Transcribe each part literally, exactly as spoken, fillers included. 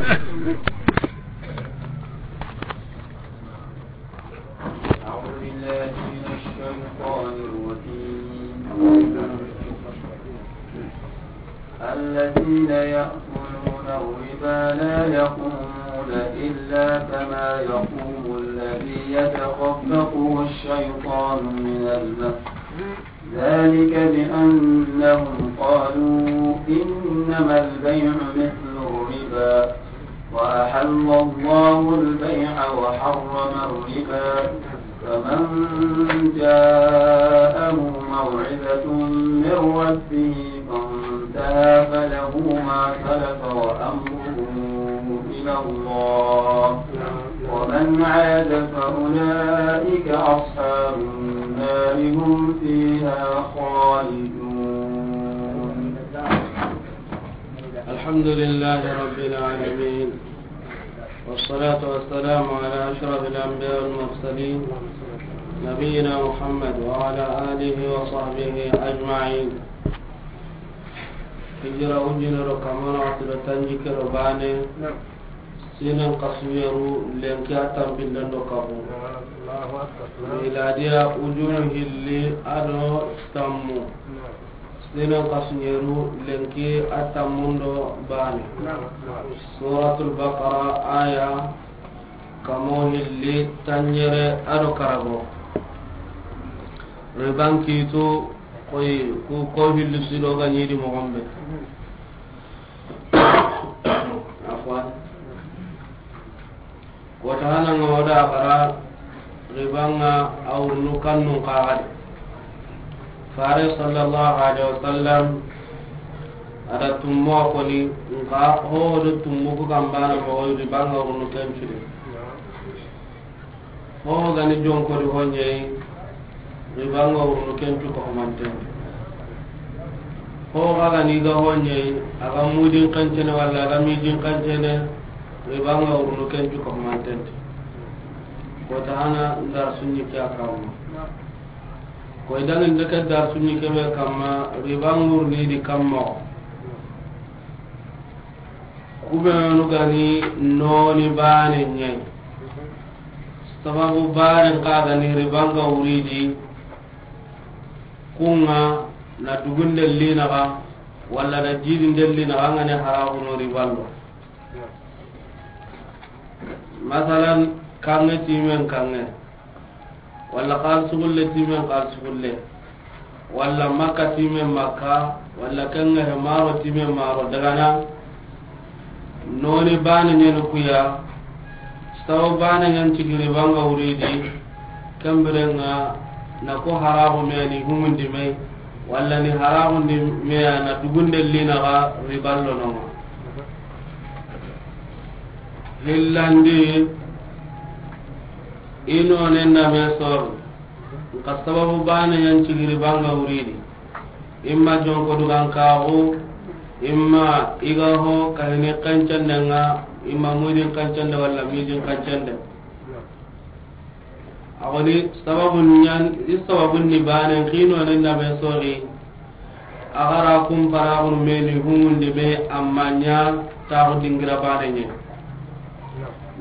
أعوذ بالله من الشيطان الرجيم. الذين يأكلون الربا لا يقومون إلا كما يقوم الذي يتخبطه الشيطان من المس، ذلك بأنهم قالوا إنما البيع مثل الربا وأحل الله البيع وحرم الربا، فمن جاءه موعظة من ربه فانتهى فله ما سلف وأمره إلى الله، ومن عاد فأولئك أصحاب النار هم فيها خالدون. الحمد لله رب العالمين، والصلاة والسلام على أشرف الأنبياء والمرسلين، نبينا محمد وعلى آله وصحبه أجمعين. Hijira ujunero kamana watiro tanjikero bane, sinen kasuyeru lenki a tampinden do kabu. Miladiya ujunu hilli ado tammu. Sinen kasuyeru lenki a tammundo bane. Suratul Baqara aya kamo hilli tanyere ado karago. Riban kitu koy ku ko hilli sido ga nyidi mo gombe. Afwan. Kota hana nga wada bara ribanga awrunu kannun kagadi. Fare sallallahu alaihi wasallam ada tummo koni nka ho do tummo ku kambana mo ribanga awrunu kenchiri. Ho gani jonkodi ho ɲeyi, ribanga wurunu ken cu ko humanten. Ho ga gani ga ho ɲeyi, a ga mudin kancene walla a ga midin kancene, ribanga wurunu ken cu ko humanten. Kota hana ndar sunni ke a kamma. Koy dangin de ke dar sunni ke be kamma, ribanga wuruni di kamma. Kubenu gani noni bane ɲayi. Sababu bane ka gani ribanga wuridi. Kunga na dugunde linaga walla na jidinde linaga ngane haraguno riballo. Masalan, kange timen kange. Walla xalisugulle timen xalisugulle, walla Makka timen Makka, walla kenga he maro timen maro dagana. Noni bane ɲeni kuya, sawo bane ɲan cigiri banga wuridi, kembirenga na ko haraxu meni humundi me, walla ni haraxundi meya na dugunde linaxa riballo nonga. Hillandi, i nonen da me sor, nka sababu bane ɲan cigiri banga wuridi. Imma jonko dugan kaxu, imma i ga ho kahini kancandenga, imma mudin kancande walla midin kancande. A goni sababu ɲan, i sababu ni bane, ki nonen da me sori. A gara kun paraxunu meni humundi me, amma ɲa taxu dingira bane ɲe.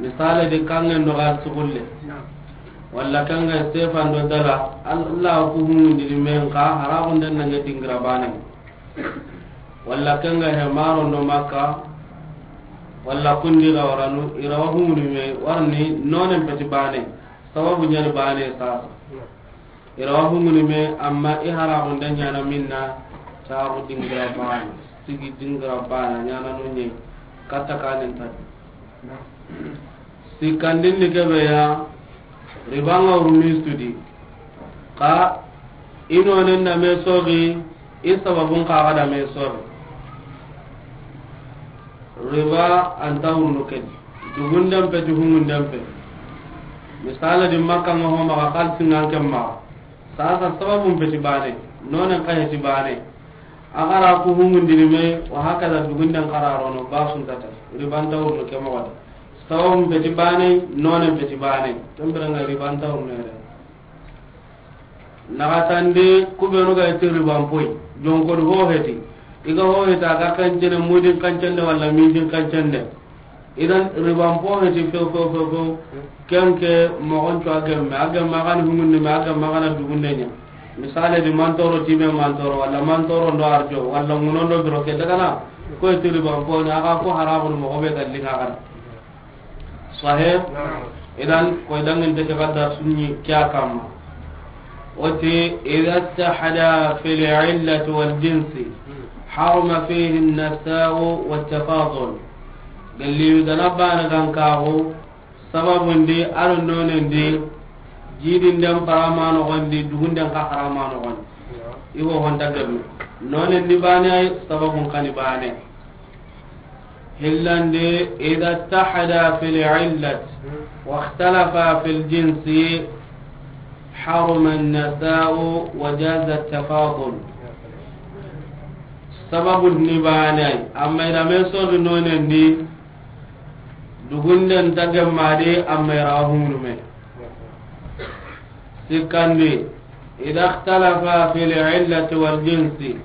Misale di kangen do ga sugulle. Walla kenga Stefan do dala, Allah ku humundi me nka haraxunden nange dingira bane. Walla kenga he maro do Makka, walla kundi ga waranu, irawa humuni me, warni nonen peti bane. Sababu ɲani bane sasa. Irawa hunguni me, amma i haraxunde ɲana minna, taxu dingira bana, sigi dingira bana, ɲana no ɲe, katta kanen tadi. Sikkandin ni kebe ya, ribanga wuruni sudi. Ka, i nonen da me sogi, i sababun kaga da me sogi. Riba anta wurunu kedi. Dugunden peti, humunden pe. Misala di Makka nga ho maga, xalisi nga ken maga. Sasa sababun peti bane. Nonen ka heti bane. A gara ku humundini me, wa hakaza dugunden kararono, basun tata. Riba anta wurunu ke moxo de. Sababun peti bane, nonen peti bane. Kembere nga riba anta wurunu yere. Naxatandi, kubenu ga iti riban poy, jonkodi ho heti. I ga ho heti, a ga kancene, mudin kancende walla midin kancende. Idan riban po heti few, few, few, few. Ken ke moxon cu a gemme, a gemme a ga ni hungunde me, a gemme a ga na dugunde ɲa. Misale di mantoro time mantoro, walla mantoro ndo arjo, walla ŋuno ndo biro ke daga na. Ko ti riban po ni, a ga ko haramu moxo be ga linga ga na. Sahih? Naam. Idan, koy dangin te ke ga darsu ɲi ke ya kamma. O ti, idha ittahada fil illati wal jinsi, haruma fihi an-nasa'u wat tafadul. Gelli gana bana gan kaxu, sababundi, a do nonendi, jidin den parama noxondi, dugunden ka harama noxondi. I ho honta gemme. Nonendi bane ay, sababun kani bane. Hillandi, idha ittahada fil illat, wa ikhtalafa fil jinsi, haruma an-nasa'u wa jaza at-tafadul. Sababun ni bane ay, amma i da me soxi nonendi, dugunden ta gemme di, amma i ra hunu me. Sikkandi, idha ikhtalafa fil illati wal jinsi,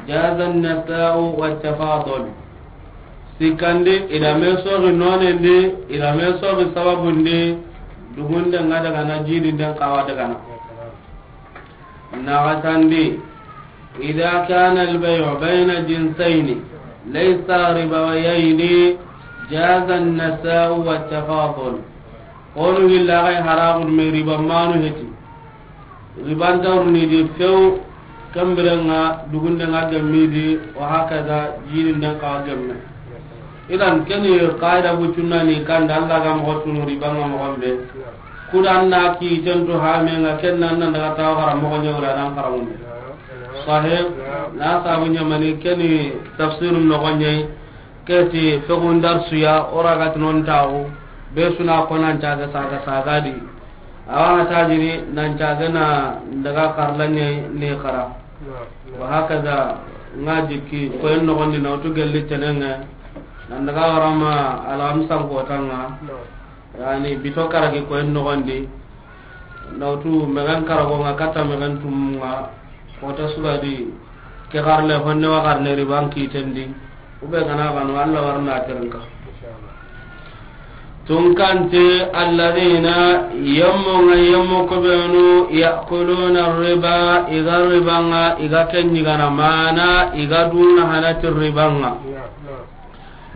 jaza an-nasa'u wat tafadul. Sikkandi, i da me soxi nonendi, i da me soxi sababundi, dugunden ŋa daga na, jidin den kawa daga na. Naxatandi, idha kana al-bay'u bayna jinsayni laysa ribawiyayni, jaza an-nasa'u wat tafadul. Honu hilla ga haramu me riba manu heti. Riban tawruni di few, kambirenga dugunde nga gemmi di, wa hakaza jidin den ka gemme. Idan keni qaida bucunna ni kanda Allah ga moxo tunu riba nga moxon be. Kudan na ki tentu ha me nga ken nan nan daga tawa xara moxo ɲewra nan xara mun. Sahih, na sabu ɲamani keni tafsirun noxo ɲey. Keti fexun darsuya, o raga ti non taxu, be suna ko nan caga saga saga di. Awa na tajini nan caga na daga karlanye ne kara. Naam, naam. Wa hakaza nga jikki ko en noxondi na wutu gelli tenenga. Nan daga warama alhamsan kotanga. Naam. Yani bito karagi ko en noxondi. Nawtu mexen karago nga kata mexen tum nga kota sugadi ke xarle honne wa xarne riban kitendi. Ube gana gano Allah warna terinka. Inshallah. Tunkante alladhina yammu nga yammu kubenu ya'kuluna riba iga riba nga iga kenyi gana mana iga duna hanati riba nga. Ya, ya.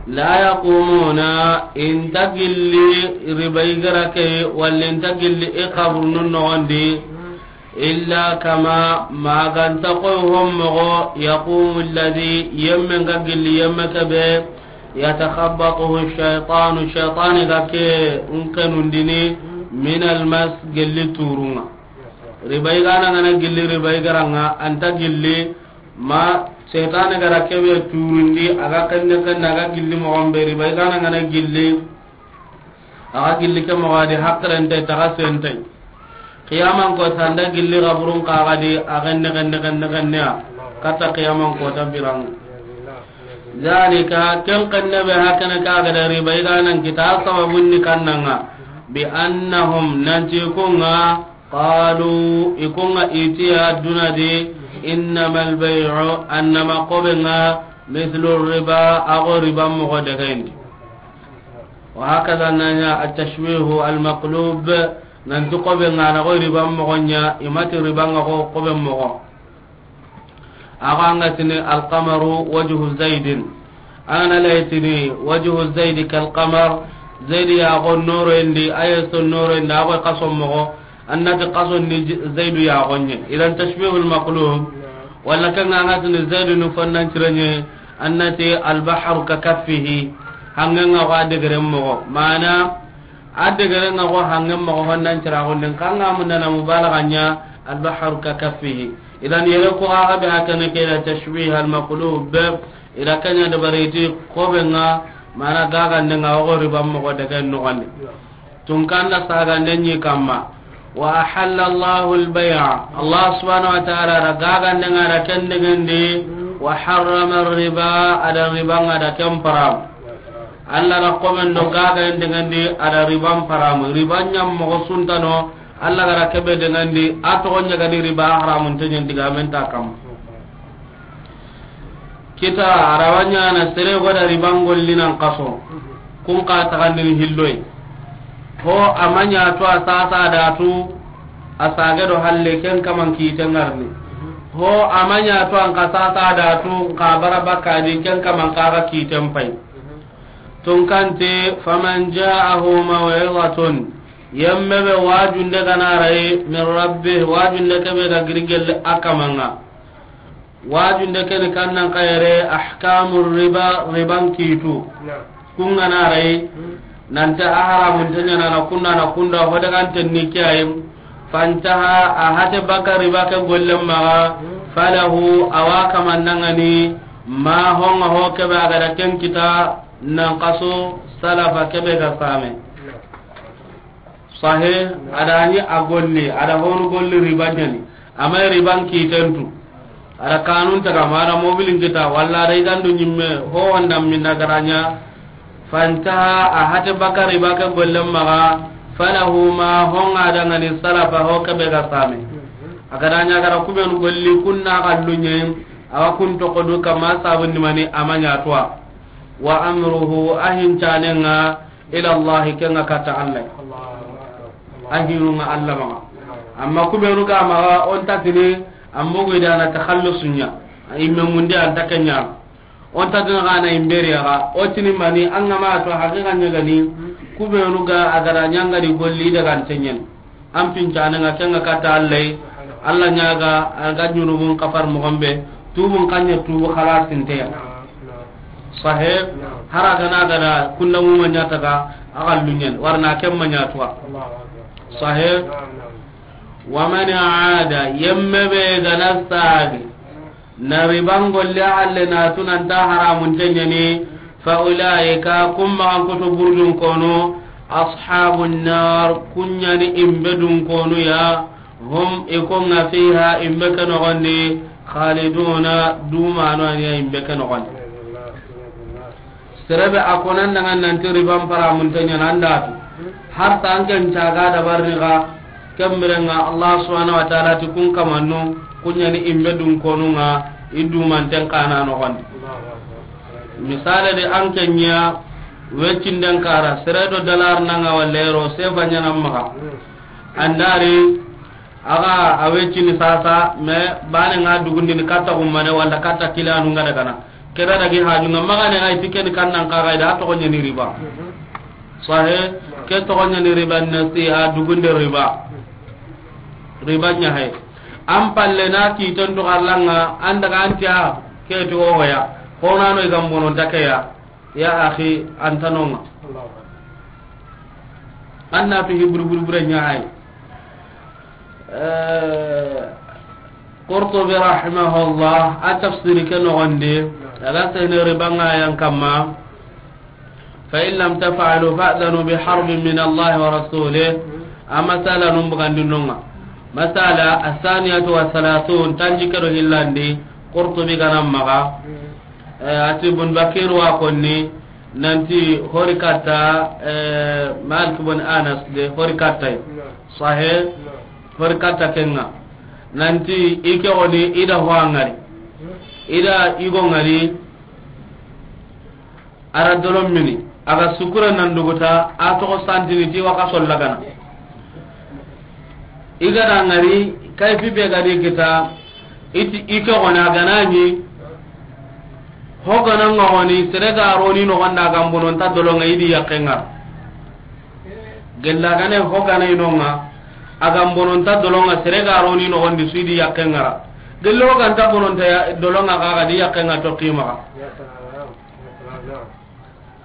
La yaqumuna, inta gilli riba igara ke, walla inta gilli i xaburnu noxondi, illa kama, maganta koy hommoxo, yaqumu alladhi, yemme nga gilli yemme kebe, yatakhabbatuhu shaytanu, shaytani ga ke nkenundini, min almas, gilli turunga. Riba igana ngana gilli riba igaranga, anta gilli ma setane gara kebe turundi, aga kenne kenne, aga gilli moxon be riba igana ngana gilli, aga gilli ke moxo adi hakkilante taxa sentay. Qiyaman ko sanda gilli xaburun kaxadi a kenne kenne kenne kenne a katta qiyaman ko ta birang. Zalika, ken kenne be hakene kaga da riba igana kita sababun ni kannanga, bi annahum, nanti kunga, qalu, ikunga itiya dunadi, innama albay'u, annama kobenga, mithlu riba, ago riba mogo dagaindi. Wa hakaza nanya at-tashbihu al-maqlub, nanti kobenga na go riba mogo nya, imati riba nga go kobe mogo. Ago anga tini alqamaru wajhu zaidin. Ana laytini wajhu zaidi kalqamar. Zaidi ya go noro indi, ayeso noro indi, ago kaso mogo. Annati kaso ni j-, zaidu ya go nye. Idan tashbihul maqlub. Wala kanga anga tini zaidu ni fonnan ciranye. Annati albahru ka kaffihi. Hanganga go adegere mogo. Mana adegere nga go hangen mogo fonnan cirago nden kanga mundana mubalaganya albahru ka kaffihi. Idan yere ko aga be hakene ke da tashbih al maqlub, ida kanya da bariti ko be nga mana gaga nde nga o riba mogo daga no gande. Tun kanda saga nde ni kamma. Wa ahalla Allahu al bay'a. Allah subhanahu wa ta'ala da gaga nde nga da kende gende. Wa harrama ar riba, ada riba nga da ken param. Allah da ko men do gaga nde gende ada riba param. Riba nyam mogo suntano. Allah gara kebe dengandi, a toxo ɲagani riba haramun teɲen digamen ta kam. Kita arawanya na sere goda riba ngolli nan kaso. Kun xa taxandini hilloy. Ho a ma ɲa tu a sasa da tu, a sage do halle ken kaman kite ŋarni. Ho a ma ɲa tu an xa sasa da tu, xa bara bakka di ken kaman xa ga kiten pay. Tun kante, faman ja'ahu maw'izatun, yemme be wajunde ga na ri min rabbih, wajunde ke be ga giri gelle a kaman ŋa. Wajunde ke ni kannan kayere, ahkamu riba, riban kitu. Kun ga na ri, nanta a haramunte ɲa na kunda na kunda, ho daga nten ni kiyaye. Fantaha, a hate baka riba ke gollen maxa, falahu, a wa kaman ŋa ni, ma honga ho ke be a ga da ken kita, nan kaso, salafa ke be ga same. Sahe, a da ni a golli, a da honu golli riba ɲa ni. A ma riban kiten tu. A da kanun taga ma a da mobilin kita, walla a da igandu ɲimme, ho wanda minna ga da ɲa. Fantaha, a hate baka riba ke gollen maxa, falahu ma honga da ŋa ni salafa ho ke be ga same. A ga da ɲa ga da kubenu golli kunna kallu ɲe, a wa kun toxo du kama sabun ni mani a ma ɲa tu a. Wa amruhu, a hincanen ŋa, ila Allahi, ken ŋa katta Allah. A hinun ŋa Allah maxa. Amma kubenu ga maxa, o nta tini, an bogu i da na takhallusu ɲa. Imme munde an ta ke ɲa. O nta tini xa na imberi ya ga. O tini mani, an ga ma to haqiqa ɲa ga ni, kubenu ga a ga da ɲa ŋa di golli daga nten ɲen. An pincanen ŋa ken ŋa katta Allah yi. Allah ɲa ga, a ga junubun kafar moxon be, tubun xa ɲa tubu xalasinteya. Sahe, hara ga na ga da kunda mu ma ɲa taga, a ga lunyen, warna ken ma ɲa tu a. Sahe, wa man aada, yemme be ga na sagi, na riban golle halle na tu nan ta haramunte ɲa ni, fa ulaika, kun maxan kutu burdun konu, ashabun nar, kun ɲa ni imbe dun konu ya, hum, i kun ŋa fiha, imbe ke noxon di, khaliduna, dumano a ni ya imbe ke noxon di. Sere be a ko nan daga nanti riban paramunte ɲa na an da tu. Har ta an ken caga dabarini ga, ken biren ŋa Allah subhanahu wa ta'ala ti kun kamannu, kun ɲa ni imbe dun konu ŋa, i dumanten xa na noxon di. Misale de an ken ɲa, weccinden kara, sere do dalar na ŋa walla euro, sefa ɲa na maxa. An da ri, Axa a wecini sasa, mais bane ŋa dugundini katta xummane walla katta kilanu ŋa dagana. Kebe dagi haju ŋa maxane ŋa iti keni kannan kaxa ida a toxo ɲani riba. Sahe, ke toxo ɲani riba nasi'a, dugunde riba. Riba ɲa hay. An palle na kiten to xarlanga, an daga an tiya, ke ti ohoya. Xonano i gambononta keya. Ya axi, an ta no ŋa. An na fi hibru buru bure ɲa hay. Eh, Qurtubi rahimahullah, a tafsiri ke noxon di, a ga sene riba ŋa yan kamma, "Fa in lam taf'alu fa'dhanu bi harbin min Allah wa rasulih." A masala nun bugandi no ŋa. Masala, asaniyatu wa salasun, tanji ke do hillandi, Qurtubi ga na maxa. Eh, a ti Bun Bakir wa konni, nanti hori katta, eh, Malik bun Anas de hori katta yi. Sahe, hori katta ke ŋa. Nanti i ke xoni i da ho a ŋari. I da i go ŋari, a ra dolon mini. A ga sukura nan duguta, a toxo santini ti wa xa solla gana. I ga da ŋari, kayfi be ga di kita, i ti, i ke xoni a ga na ɲi, ho ga na ŋa xoni, sere ga roni noxon da a ga mbononta dolon ŋa i di yaqqe ŋa ra. Gella ga ne ho ga na i no ŋa, a ga mbononta dolon ŋa, sere ga roni noxon di su i di yaqqe ŋa ra. Gelle ho ga nta bononta ya, dolon ŋa xa ga di yaqqe ŋa to qima xa.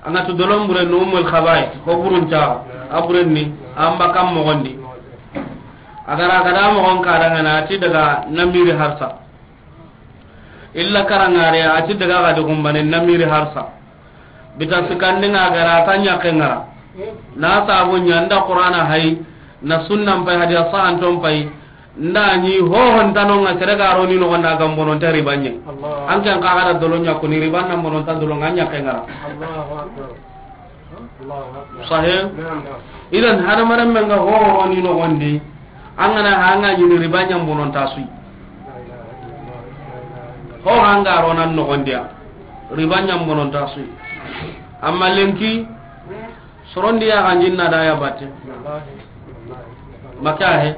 An ga tu dolon bure no Ummul Khaba'ith, ho burun ta, a buren ni, an ba kam moxon di. A ga ra ga da moxon ka da ŋa na ti daga namiri harsa. Illa karangare a ti daga ga di gumbane namiri harsa. Bita sikandi ŋa ga ra ta ɲaqqe ŋa ra. Na sabu ɲa nda Qur'ana hay, na sunnan pay, hadiya sahanton pay. Nda ɲi hohon ta no ŋa sere ga roni noxon da a ga mbononta riba ɲa. An ken xa ga da dolon ɲa kuni riba na mbononta dolon ŋa ɲaqqe ŋa ra. Sahe? Idan hadamaren men ga ho roni noxon di, an ga na ha ŋa ɲini riba ɲa mbononta su yi. Ho ha ŋa ronan noxon di ya, riba ɲa mbononta su yi. Amma lenki, Sorondi ya ganjin na da ya batte. Maka he.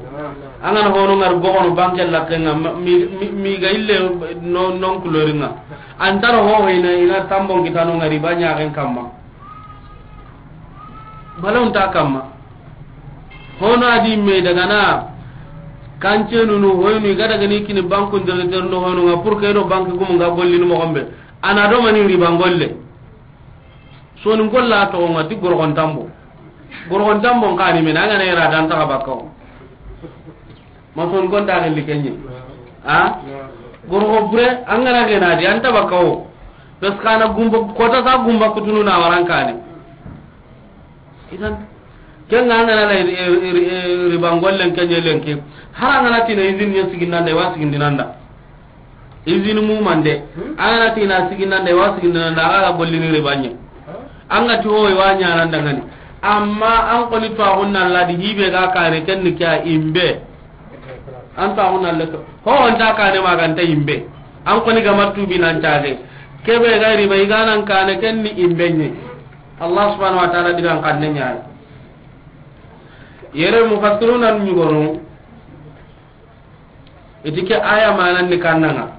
An ga na hono ŋari gogono banke la kenga mi, mi, mi ga ille no, non kuloringa. Antaro ho ina, ina tambon kitano ŋari banya ken kamma. Balon ta kamma. Hono adi me daga na kance nunu hoynu ga daga ni kini banku ndere terno hono nga pour que no banku gumu nga gollini mo gombe. Ana do mani riba ngolle. Soni golla to nga ti gorgon tambo. Gorgon tambo kani men an ga na ira dan ta bakaw. Ma son gonda ne likenye. Ha? Gorgo bure an ga na gena di an ta bakaw. Parce que ana gumba kota sa gumba kutunu na warankane. Idan, ken ga an ga na la ri-, ri-, ri-, riba ngollen kenye lenki. Har an ga na tina izin nya siginanda, wa siginanda. Izin mu mande. An ga na tina siginanda, wa siginanda, aga ga gollini ribanye. An ga ti ho wa nya nan dangani. Amma an koni to agunna ladi hibe ga kane ken ni kya imbe. An to agunna leto. Ho on ta kane maganta imbe. An koni ga matubi nan tage. Kebe ga riba iganan kane ken ni imbe nye. Allah subhanahu wa ta'ala digan kanne nyaay. Yere mufassiruna nyugonu. Iti ke aya manan ni kannanga.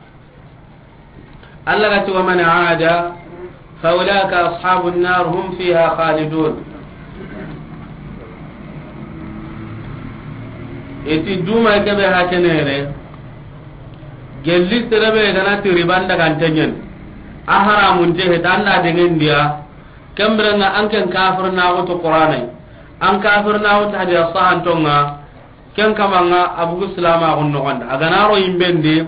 Allah ga ti, "Wa man aada fa ulaika ashabun nar hum fiha khalidun." Iti duma kebe hakenere. Gelli serebe gana ti riban daga ntenyen. A haramun te hetanda dengan dia. Kembirenga an ken kafir na wutu Qur'anai. An kafir na wutu hadiya sahantonga. Ken kamanga abugu silama gun nogonda. Agana ro imbendi,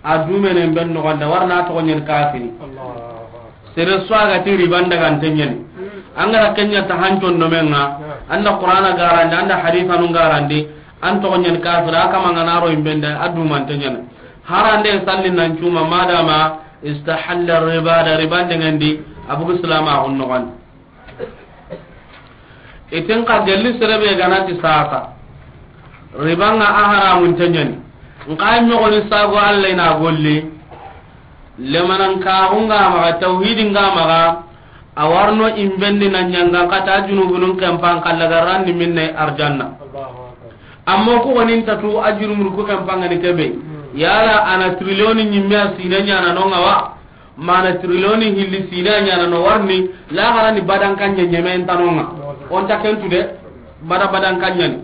a dumene ben nogonda. Warna to nyen kafiri. Sere swaga ti riban daga ntenyen. Angara kenya ta hanjon no menga. Anda Qur'ana garandi, anda haditha nun garandi. An to nyen kafiri, akamanga na ro imbenda, a duman tenyen. Harande sallin nan cuma madama istahalla riba da riban dengan di abugu silama gun nogonda. Iten ka gelli serebe ganati sasa. Ribanga a haramun tenyani. Nka nyogoni sago Allah ina golli. Lemanan ka hunga maga tauhidi nga maga. A warno imbendi na nyanga kata junubunun kempan kalla garandi minne arjanna. Amma ku gonin tatu a junubun ku kempan ngani kebe. Yala ana trilioni nyimme a sine nyana nonga wa. Mana trilioni hilli sina ɲana no warni, laxara ni badan kanya ɲemen tanonga. On ta kentu de, bada badan kanya ni.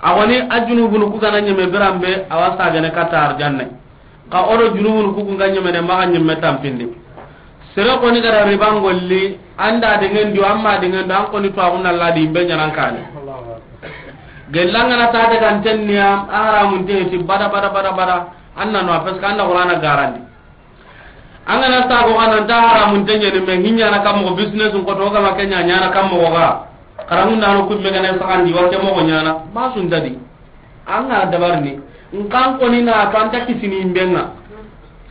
A woni a junubunu ku gana ɲeme biranbe, a wa sagene kata arjanne. Ka odo junubunu ku ga ɲeme de, maxa ɲeme tampindi. Sere koni gara riban golli, anda dengan di, amma dengan di, an koni to agunna ladi imbe ɲanan kane. Gellanga na ta daga antenniya, a haramun te ti bada, bada, bada, bada. Anna no, parce que anda Qur'ana garandi. An ga na sago xa nan ta haramun te ɲani, me hinya na kam moxo business ko to ga ma kenya ɲana kam moxo ga. Xarangun da no kumme ga na saxandi wa ke moxo ɲana. Ma sun dadi. An ga dabarni. Nkan koni na to an ta kisini imbenga.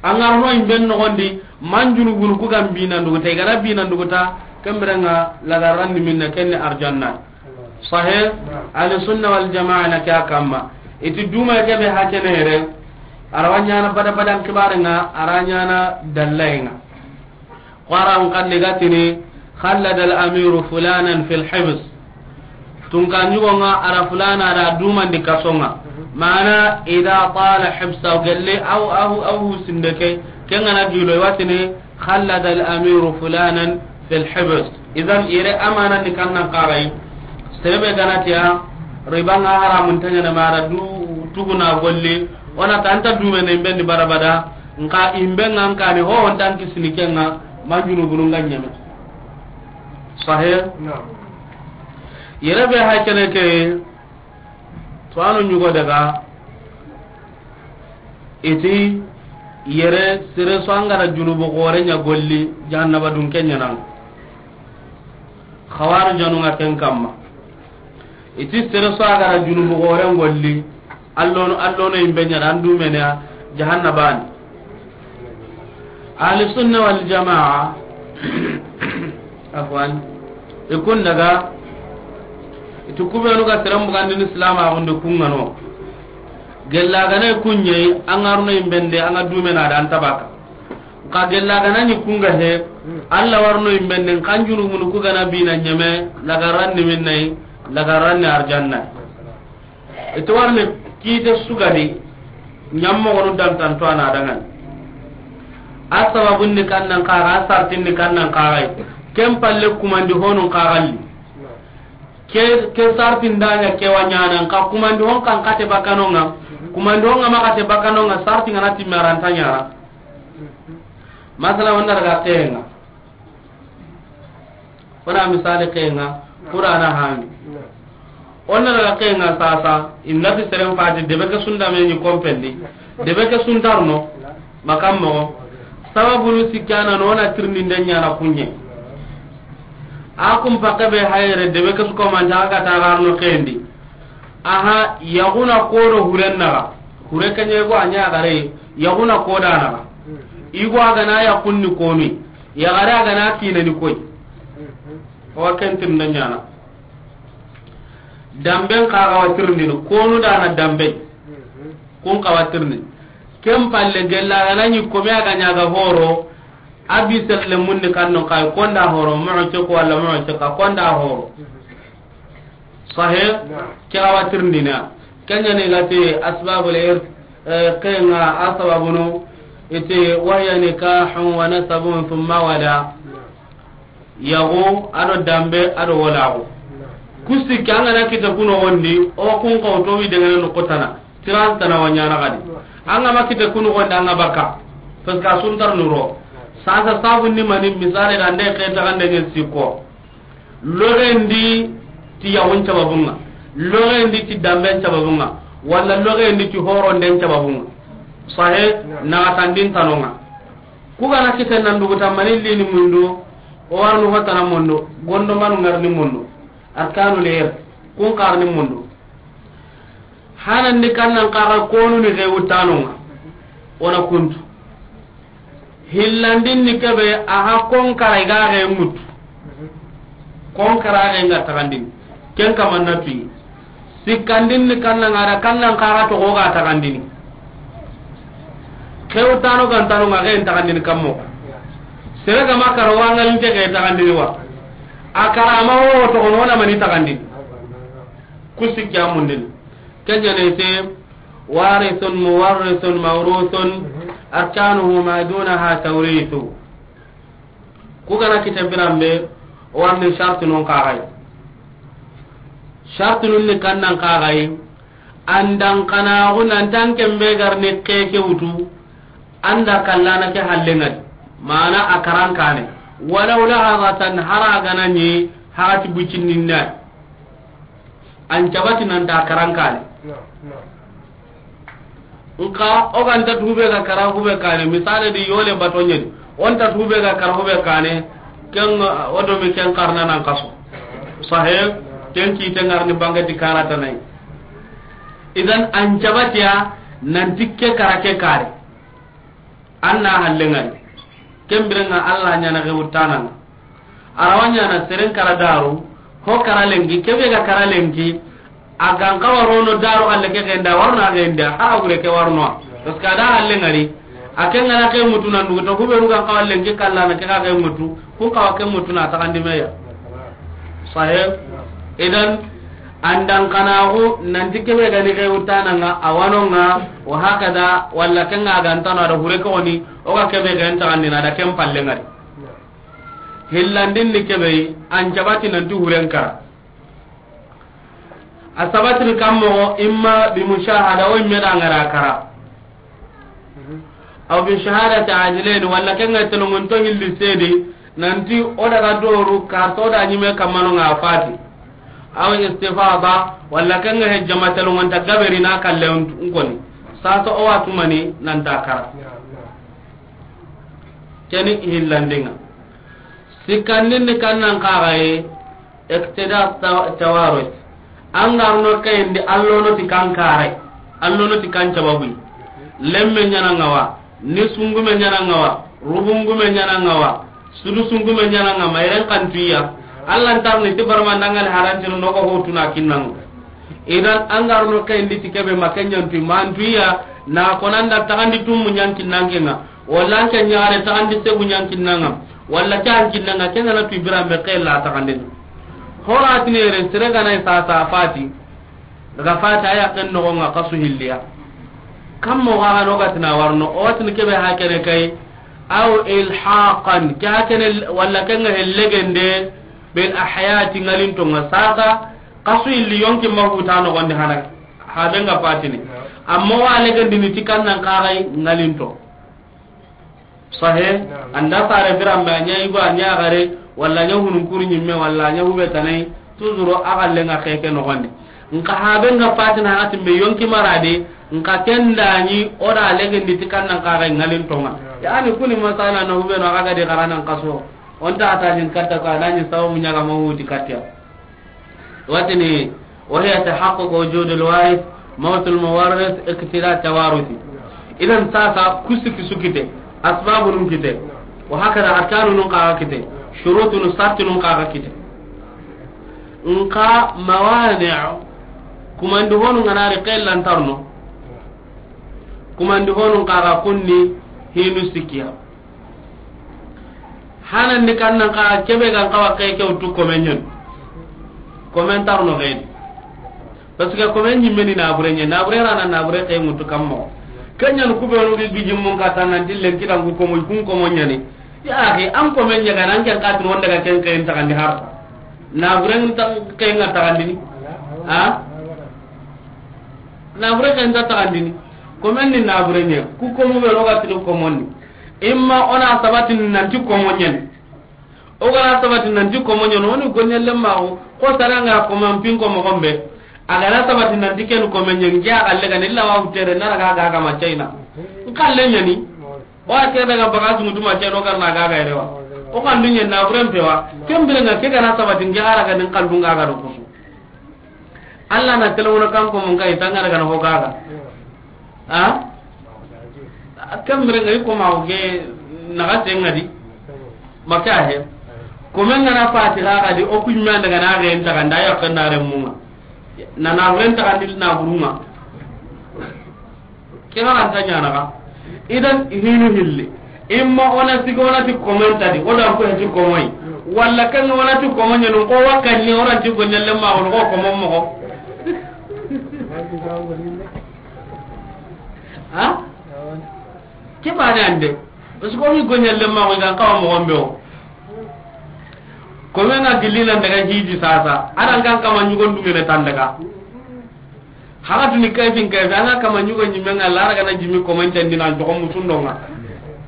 An ga no imben no gondi, man junubunu ku gam bina ndugu te, ga na bina ndugu ta, kemberenga lagarandi minna kenne arjanna. Sahih? Naam. Ahli sunna wal jamaa na kya kamma. Iti duma kebe hakene yere. Arawa ɲana bada badan kibare nga, ara ɲana dallaye nga. Qur'an kan ni gatini, "Khallada al-amiru fulanan fil hibs." Tunka ɲugo nga ara fulana da dumandi kasonga. Mana idha tala hibsa gelle aw, aw, aw sindeke. Kengana gilo watini, "Khallada al-amiru fulanan fil hibs." Idan ire amana ni kannan kagai. Serebe ganatiya, riba nga haramun tanyana mara du tuguna golli. Ona tanta dumene imbendi bada bada. Nka imbe nga nkani ho on tan kisini kenga manjunu bununga ɲeme. Sahih? Naam. Yere be hakene ke, to anu ɲugo daga, iti yere sere so angara junubu gore ɲa golli, jahannaba dun kenya nan. Khawarijanu nga ken kamma. Iti sere so agara junubu gore golli, allono, allono imbe ɲa dan dumene jahannaba ni. Ahli sunna wal jamaa, afwan, ikun daga, itu kubenu ga sere mbugandini silama agunde kungano. Gella gane kunye, angaruna imbende, anga dumena dan tabaka. Xa gella gana ni kunga he, Alla warno imben nen kan junubunu ku gana bina ɲeme, lagaran ni minnayi, lagaran ni arjanna. Ito warne kite sugadi, ɲammo gonu dantanto ana dangan. A sababun ni kannan kaga, a sartin ni kannan kaga. Ken palle kumandi honun kagalli. Ke, ke sartin danya ke wanyana, ka kumandi hon kan kate bakanonga. Kumandi hon ma kate bakanonga, sartin ngana timaranta nyara. Masala wanda daga kenga. Wona misali kenga, Qur'ana hami. Onna daga kenga sasa, innati seren fati, debe ke sunda me ni kompendi, debe ke sundarno, makammo, sababu nu sikana no na tirni ndenya na kunye. A kun pake be hayre, debe ke su komanta ga ta garno kendi. Aha, yaguna kodo huren naga, hure kenye go anya gare, yaguna koda naga. Igo aga na ya kunni konu. Yagare aga na kine ni koy. O ken tirnde ɲana. Damben kaga wa tirndini, konu dana dambe. Kun kawa tirndini. Ken palle gella gana ni kome aga ɲaga horo. Abi serle munni kanno kay konda horo, mo ce ko wala mo ce ka konda horo. Sahih? Naam. Ke awa tirndina. Kenya ne gati asbabul irth, eh, kenga asbabunu, ite wahya nikahun wa nasabun thumma wala. Naam. Yago, ado dambe, ado walago. Naam. Kusi kanga na kita kuno gondi, o kun kawto wi dengane no kotana. Tiran tana wanyana gadi. Anga ma kita kuno gondi anga baka. Parce que asuntar nuro. Sasa sabun ni mani misale da nde kenta gande ngen siko. Logendi ti yawun cababunga, logendi ti damben cababunga, walla logendi ti horonden cababunga. Sahe, naxatandin tanonga. Kugana kiten nan duguta mani lini mundu, o warnu hotana mundu, gondo manu ngarni mundu, arkanu ler, kun karni mundu. Hanandi kannan kaga konu ni xewutanonga, ona kuntu. Hillandin ni kebe, aha konkara i ga xe ŋutu. Konkara xe nga taxandini. Ken kamanna tuyi. Sikkandin ni kannan ŋa da kannan kaga toxo ga taxandini. Xewtano gantano nga xen taxandini kammo. Sere gama kara wangalinte xe taxandini wa. A kara ama wo toxono wona mani taxandini. Ku sikki a mundini. Ken ɲa ne te, warithun, muwarrithun, mawruthun, arkanuhu ma dunaha tawrithu. Ku gana kite biranbe, o warni shartunun kaxay. Shartunun ni kannan kaxay, andan kanaxu nantan kembe garni keke wutu, anda kallana ke halle ngadi. Mana a karankane. Walaw lahazatan, hara gana ni, hagati bucinninna. An cabati nanta karankane. Nka o ganta tube ga kara hube kane, misale di yole bato ɲeni. Onta tube ga kara hube kane, ken o domi ken karna nan kaso. Sahe, ken kite ngarni bangati karata nay. Idan an cabatiya nanti ke kara ke kare. An na halle ngari. Ken birenga Allah ɲana ge wuttananga. Arawa ɲana seren kara daru, ho kara lenki, kebe ga kara lenki, a gan kawa rono daru halle ke genda, warno a genda, hara gure ke warno. Parce que a da halle ngari, a ken ngana ke mutu nan dugu to, hubenu gan kawa lenki kallana ke ga ke mutu, kun kawa ke mutu na taxandi meya. Sahib, idan, andan kanaxu nanti kebe gani ke wuttananga, a wanonga, wa hakada, walla kenga gantano a da hure ke woni, o ga kebe gan taxandina a da ken palle ngari. Hillandin ni kebe, an cabati nanti huren kara. A sabatini kammo, imma bi mushahada, o imme da ngara kara. Aw bi shahadati adlain, walla kenga telongonto hilli sedi, nanti o daga doru, karto da ɲime kammano nga fati. Aw istifada, walla kenga he jama telongonta gaberi na kalle nkoni. Sasa o watumani nanta kara. Keni hillandinga. Sikkandin ni kannan kaxaye, Iqtida ta-, tawarus. An garno kayindi, allono ti kan kare. Allono ti kan cababu. Lemme ɲana ngawa, ni sungume ɲana ngawa, rubungume ɲana ngawa, sudu sungume ɲana ngawa, mayren kan tuya. Allah ntarni ti barma ndangal harantiru nogo hotuna kinnangu. Idan an garno kayindi ti kebe makenyan tu man tuya, na konanda taxandi tummu ɲan kinnangenga. Walla an ke ɲaxare taxandi segu ɲa an kinnanga, walla ke an kinnanga, ke ngana tu biranbe ke la taxandini. Horatini yere sere gana i sasa fati, daga fati a yaqqen noxonga kasu hilliya. Kammo xaxano gatina warno, o watini kebe hakene kay, aw ilhaqan, ke hakene, walla ke nga hellegende, bil ahyati ngalintonga sasa, kasu hilli yonki mahuta noxondi hana, habe nga fatini. Amma wa legendini ti kannan kaxay ngalinto. Sahe, anda fare biranbe, a ɲa yigo, a ɲa gare, walla a ɲa hunun kuru ɲimme, walla a ɲa hube tanai, toujours a galle nga keke noxondi. Nka habe nga fatina hati me yonki marade, nka kendani o da legendi ti kannan kaxay ngalintonga. Yani kuni masala na hube no a ga di xaranan kaso. Onta ata ɲin katta ko anani sawo muɲaga mahuti katya. Watini, وهي تحقق وجود الوارث، موت المورث، اقتضاء التوارث. Idan sasa kusiki sukite, asbabu nun kite, wa hakada arkanu nun kaga kite, shurutu nun sarti nun kaga kite. Nka mawani, kumandi honu nganari kellantarno, kumandi honu kaga kunni hinu sikiya. Hanandi kannan ka kebe gan kawa ke ke wutu komen ɲen. Komen tarno gedi. Parce que komen ɲimme ni nabure ɲen, nabure rana nabure ke mutu kammo. Kenyan kubenu gi gijimmun ka tanan dillen kidan ku komo kun komo ɲani. Ya akhi, an komen ɲa ganan ken katin wonda ga ken ken tagandi har. Nabure ta ken ga tagandi ni. Ha? Nabure ken ta tagandi ni. Komen ni nabure ɲe. Ku komo be roga tinu komonni. Imma ona sabatin nanti komo ɲen. O gana sabatin nanti komo ɲen, oni goɲelle maxu, ko saranga komo pin komo gombe. A gana sabatin nanti ken komo ɲen, nge a galle gani illa wa hutere, nara ga ga ga ma China. Nkalle ɲani. O a ke daga baga sumutu ma China, o garna ga ga rewa. O kan dunya na buren pewa. Kembere nga ke gana sabatin nge ara ga nin kan dunga ga do kusu. Allah na telewona kan ko mun kai tanga daga na hogaga. Ha? Kambere ngai ko ma oge na ga tenga di. Maka he. Ko men na fati ga ga di o ku men daga na ga enta ga nda ya kan na remunga. Na na renta ga di na burunga. Kena anta ɲana ga. Idan hinu hilli. Imma ona sigo ona ti komenta di, o dan ko heti komoi. Walla kan ona ti komo ɲenu ko wakanni ona ti ko ɲalle ma ko ko komo mo. Ha? Ke bane ande. Parce que o mi go ɲalle ma ko gan kawa mo gombe o. Komen na gilli nan daga hiji sasa. Aran kan kama ɲugon dungene tan daga. Haga tuni kayfin kayfi, anga kama ɲugo ɲimme nga lara gana jimi komanten dina jogo musundonga.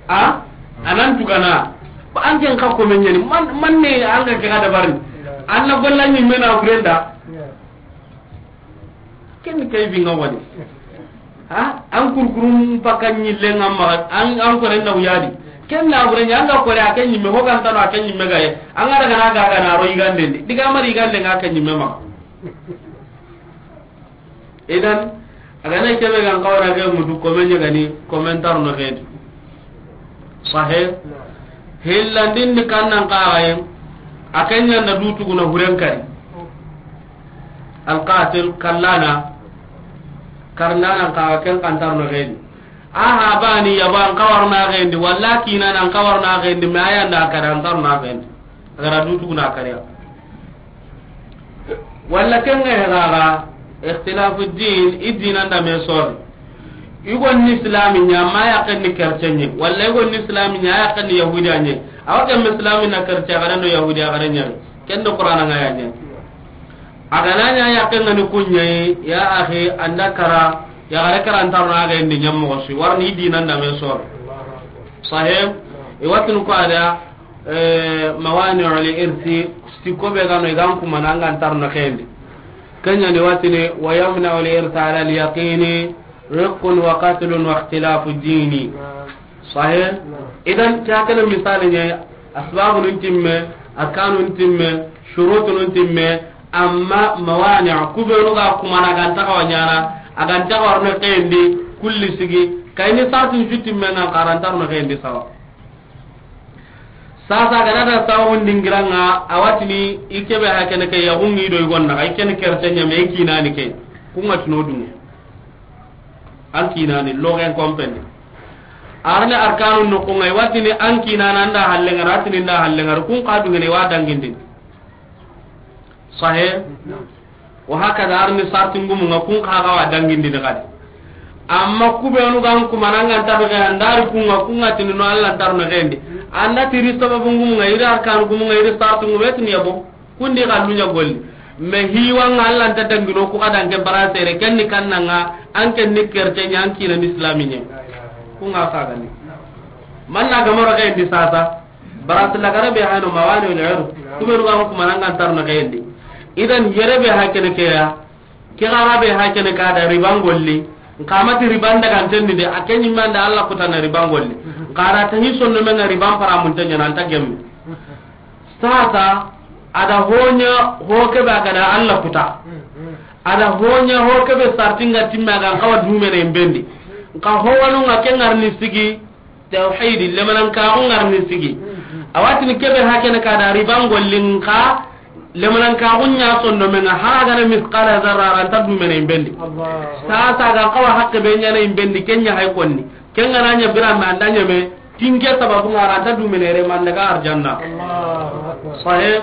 A? Anan tugana. Ba an ken ka komen ɲani, man, man ne anga ke ga dabarin. Anna golla ɲimme na burenda. Ken kayfi nga wani. Ha? An kurkurum pakan ɲille nga ma, an, an kore na uyadi. Ken na bure ɲa anga kore a ken ɲimme, ho kan tano a ken ɲimme gaye. Anga daga na gaga na ro igande ndi. Diga mari igande nga ken ɲimme ma. Idan, a ga na kebe gan kawara ke mutu komen ɲa gani, komentar no xedi. Sahe. Hillandin di kannan kaxaye, a ken ɲa na du tuguna huren kari. Alqatil kallana, karnanan kaxa ken kantar no xedi. A ha bani yaban kawarna xedi, walla kinanan kawarna xedi, me ayanda kadan tarna xedi. A ga ra du tuguna kariya. Walla ken ga he gaga, ikhtilafu din, i dinan da me sori. I go ni islami ɲa, ma ya ken ni kercen ɲe. Walla i go ni islami ɲa, ya ken ni yahudiya ɲe. Awa ken islami na kercen, a ga na no yahudiya, a ga na ɲa. Ken do Qur'ana nga ya ɲe. A ga na ɲa ya ken ni kuɲe, ya akhi, anda kara, ya ga ra kara antar na ga indi ɲam mo si. Warni i dinan da me sori. Sahib, i watun ko ada, Eh, mawani'ul irsi, sikko be gano i gan kumana an gan tarno xendi. Ken ɲa ni watini, wa yamna'ul irsa ala al yaqini, riqqun wa qatlun wa ikhtilafu dini. Sahih? Idan, ke hakene misali ɲa, asbabu nun timme, arkanu nun timme, shurutu nun timme, amma mawani' kubenu ga kumana gan taxawa ɲana, a gan taxawa no xendi, kulli sigi, kayni sartun su timme nga karantarno xendi sawa. Sasa gana da sawun dingiranga, a watini i kebe hakene ke yaxungi do i gonna, i kene kerten ɲame, i kinani ke. Kunga tino dunge. An kinani, loxen kompeni. Arni arkanu noxu ŋa, i wa tini an kiina na nda hallen ŋa ri, a tini nda hallen ŋa ri, kun xa du ŋene i wa dangindini. Sahe? Wa hakada arni sarti ngumu ŋa, kun xa ga wa dangindini xadi. Amma ku be nu ga n kuma na ŋa nta be ga ndari kun ŋa, kun ŋa tini no Alla nta ro na xendi. An da tiri sababu ngumu ŋa, i ri arkanu gumu ŋa, i ri sarti ngumu, i tini yabo. Kun di xallu ɲa golli. Mais hiwa ŋa Alla nta dangino ku xa danke bara sere, ken ni kanna ŋa, an ken ni kerte ɲa, an kiina ni islami ɲa. Kun ŋa xa ga ni. Man na ga ma ro xendi sasa. Bara sila gara be hano mawani wal ur. Ku be nu ga n kuma na ŋa nta ro na xendi. Idan yere be ha kene ke ya. Ke xara be ha kene ka da riban golli. Nka ma ti riban daga ntendi de, a ke ɲi ma nda Alla kuta na riban golli. Nka ra ta hi sonno me ŋa riban para mun tanya na nta gemme. Sasa, a da ho ɲa ho ke be a ga da Alla kuta. A da ho ɲa ho ke be sarti ŋa timme a ga n xawa dumene in bendi. Nka ho wanu ŋa ke ŋarni sigi, tawhidi, lemanankaxu ŋarni sigi. A wa tini ke be ha kene ka da riban golli nka, lemanankaxu ɲa sonno me ŋa, hara ga na misqala zarra ra nta dumene in bendi. Sasa ga n xawa hakke be ɲa na in bendi, ken ɲa hay konni. Ken ga na ɲa bira me an da ɲa me, tinke sababu ŋa ra nta dumene re man daga arjanna. Sahe?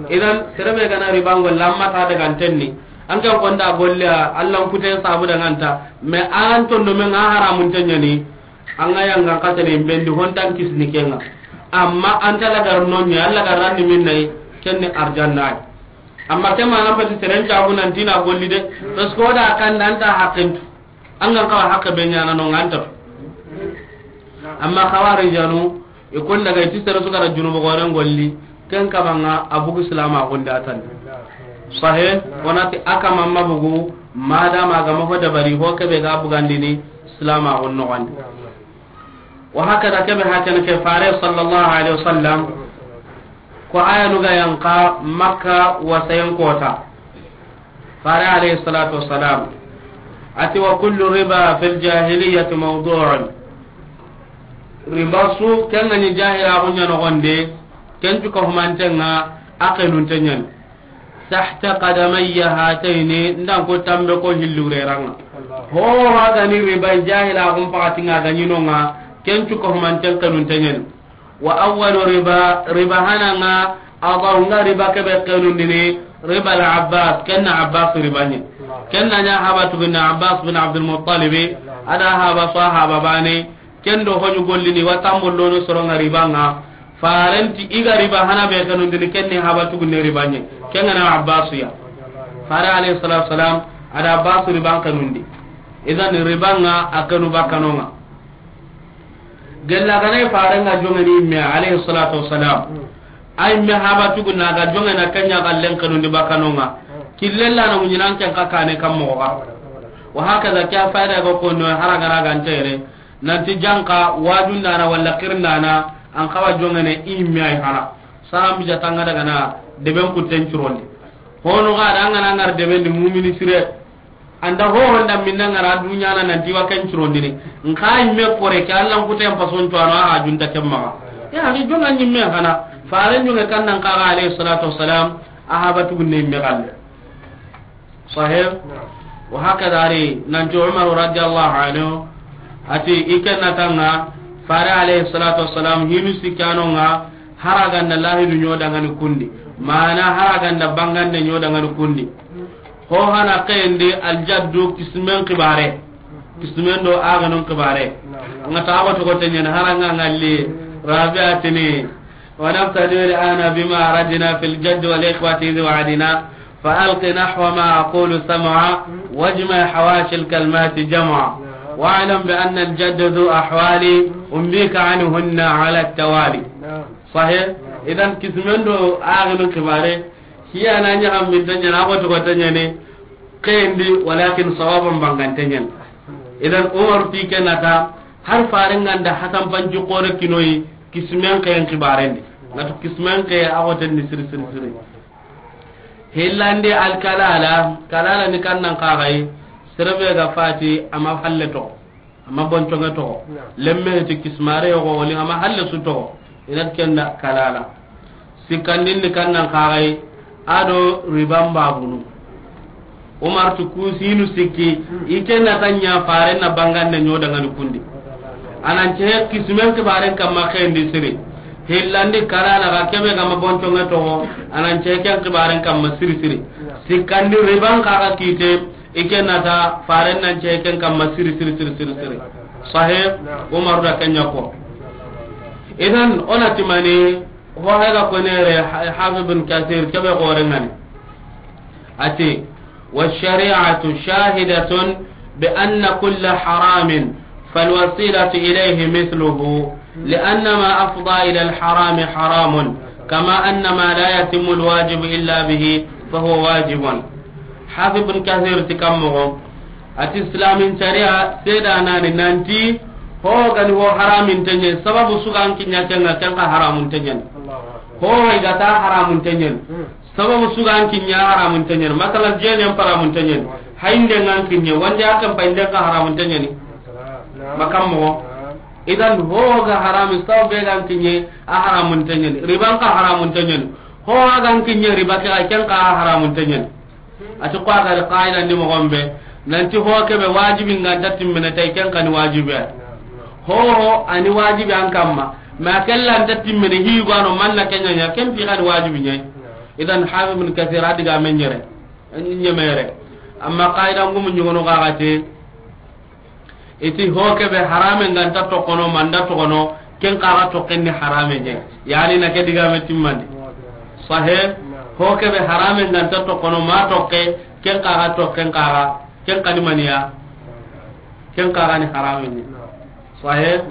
Idan, sere be ga na riban golli, amma ta daga ntenni. An kan konda golli a, Alla n kute sabu daga nta. Mais an tondo me ŋa haramun tenyani. An ga yanga n xatene in bendi hontan kisni ke ŋa. Amma an ta lagar no ɲa, Alla ga ranni min nay, ken ni arjanna ay. Amma ke ma nan pati seren cagu nan tina golli de. Parce que o da kan nan ta haqqintu. An ga n xawa haqqe be ɲa na no ŋa nta. Amma xawarijanu, i kon daga i ti sere su ga ra junubu goren golli, ken kama ŋa a bugu silama gonda tan. Sahe, o na ti a kama ma bugu, madama a ga ma ho dabari, ho ke be ga bugandini silama gon no gandi. Wa hakada ke be ha kene ke fare sallallahu alaihi wasallam, ko aya nu ga yanqa Makka wa sayan kota. Fare alayhi salatu wassalam a ti, "Wa kullu riba fil jahiliyyati mawdu'un." Riba su, ken ga ni jahila gunya no gonde, ken tu ko humantenga, a kenun tenyan. "Tahta qadamayya hatayni," ndan ko tambe ko hillu reranga. Ho wa ga ni riba jahila gun pakati nga ga ni no nga, ken tu ko humanten kenun tenyan. Wa awwalu riba, riba hananga, adahu nga riba ke be kenundini, riba al-Abbas, ken na Abbas riba ni. Ken na ɲa haba tugunna Abbas bin Abdul Muttalib, a da haba so haba bane, ken do honu gollini, wa tambo lono soronga riba nga, farenti i ga riba hana be kenundini, ken ni haba tugunne riba ni, ken ga na Abbas ya. Fare alayhi salatu wasalam, a da Abbas riba kenundi. Idan riba nga a kenu bakanonga. Gella gane farenga jongeni imme alayhi salatu wassalam. Ay me haba tugu na ga jongena kanya ga lenkanundi bakanonga. Killella na munyinan ken ka kane kam mo ga. Wa hakaza kya fayda go ko no haraga raga ntere. Nanti janka wajundana walla kirndana an kawa jongene imme ay hana. Saram bija tanga daga na deben ku tencurondi. Hono ga da ngana ngar deben di mumini sire. Anda ho honda minna ngara dunya na nanti wa ken curondini. Nka imme kore ke Allah kute en pason to ana a junta kemma. Ya ni jonga nyimme kana. Fare jonga kan nan kara alayhi salatu wassalam. Ahaba tugunne imme galle. Sahih. Wa hakada ari nanti Umar radiyallahu anhu ati ikenna tanga fare alayhi salatu wassalam hinu sikano nga. Haraganda lahidu ɲodangani kundi. Mana haraganda bangande ɲodangani kundi. Ho hana kayende aljaddu kismen kibare. Kismen do aganun kibare. Nga ta awa togo tenyen haranga ngalli. Rabiatini. ونبتدئ الآن بما أردنا في الجد والإخوة إذ وعدنا فألق نحو ما أقول سمعا واجمع حواشي الكلمات جمعا واعلم بأن الجد ذو أحوال أنبيك عنهن على التوالي. Sahih. Idan kismen do axiru kibare, hiya na ɲaxam min ta ɲana, a xo toxo ta ɲane, xeyendi, walakin sawaban bangante ɲan. Idan Umar ti ke nata, har farenganda Hasan Panci xore kinoyi, kismen xeyen kibarendi. Natu kismen xeye a xoten ni siri siri siri. Hillandi alkalala, kalala ni kannan xaxayi, serebe ga fati, ama falle toxo. Ama bonconge toxo. Lemme ti kismare yogo woli ama halle su toxo. Inat kenda kalala. Sikkandin ni kannan xaxay ado riban babunu. Umar tu kusinu sikki, i kenna tanya fare na bangande ɲodangani kundi. A nan cehe kisimen kibaren kamma xendi siri. Hillandi kalana ga kebe gama bonconge toxo, a nan cehe ken kibaren kamma siri siri. Sikkandi riban kaga kite, i ke nata faren nan cehe ken kamma siri siri siri siri siri. Sahe, Umaru da kenya ko. Idan, o na timani, ho hega konere, ha-, Hafiz bin Kathir, kebe gore ngani. Ati, والشريعة شاهدة بأن كل حرام فالوسيلة إليه مثله، لأن ما أفضى إلى الحرام حرام، كما أن ما لا يتم الواجب إلا به فهو واجب. Hafiz bin Kathir ti kammoxo, ati Islamin sharia seedanani nanti ho gani ho haramin tenye, sababu sugan kinya kenga, kenga haramun tenyen. Ho ga ta haramun tenyen. Sababu sugan kinya haramun tenyen. Masalan, jenen haramun tenyen. Hayinde ngan kinye, wande akan payinde ka haramun tenyeni. Makam mo. Idan ho ga harami sababu be gan kinye a haramun tenyen. Riban ka haramun tenyen. Ho gan kinye riba ke, ken ka haramun tenyen. Ati ko a gari qaida ni mo gombe, nanti ho kebe wajibi nganta timmene tay, ken kani wajibi ay. Ho ho ani wajibi an kamma. Ma kella anta timmene hi gwano manna kenya nya, ken pi kani wajibi nyai. Idan Hafiz bin Kathir a diga men nyere, nyemere. Amma qaida ngumu nyugono gagate, iti ho kebe harame nganta tokono, manda tokono, ken kaga tokken ni harame nye. Yani na ke diga me timmandi. Sahe, ho kebe harame nganta tokono, ma tokke, ken kaga tokken kaga, ken kani maniya, ken kaga ni harame nye. Sahe.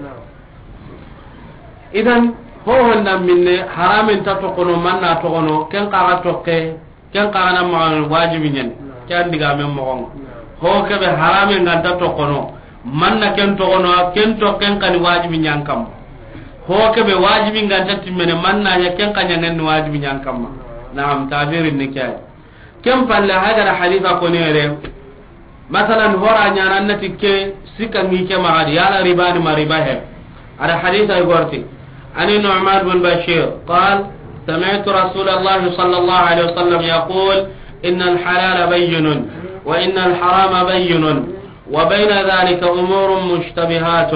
Idan, ho honda minne, harame nta tokono, manna tokono, ken kaga tokke, ken kaga na maxa wajibi nyen. Ken diga men moxon. Ho kebe harame nganta tokono, manna ken tokono, ken to ken kani wajibi nyan kam. Ho kebe wajibi nganta timmene, manna nya ken kanya ngen wajibi nyan kam. Naam, tabirin ni kay. Ken palle hagara hadisa konere. Masalan, hora nyana annati ke sika ngi ke magadi, yala ribani ma riba he. Ada hadisa igorti. عن النعمان بن بشير قال: سمعت رسول الله صلى الله عليه وسلم يقول: إن الحلال بين، وإن الحرام بين، وبين ذلك أمور مشتبهات،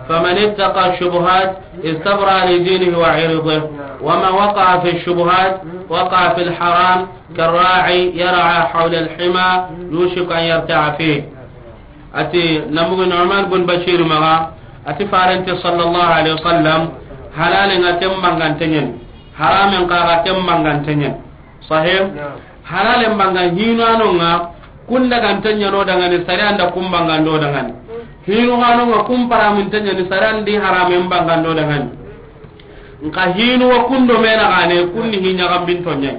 فمن اتقى الشبهات استبرأ لدينه وعرضه، ومن وقع في الشبهات وقع في الحرام، كالراعي يرعى حول الحمى يوشك أن يرتع فيه. Ati, namugu Nu'man bin Bashir maga, ati farante sallallahu alaihi wasallam, halale nga ken bangantenyen, haramen kaga ken bangantenyen. Sahih? Halale mbanga hinu anonga, kun dagantenyen o dangani, sari anda kun bangando dangani. Hinu anonga kun paramuntenyen, sari andi haramen bangando dangani. Nka hinu wa kundo mena gane, kunni hi ɲagambinto ɲai.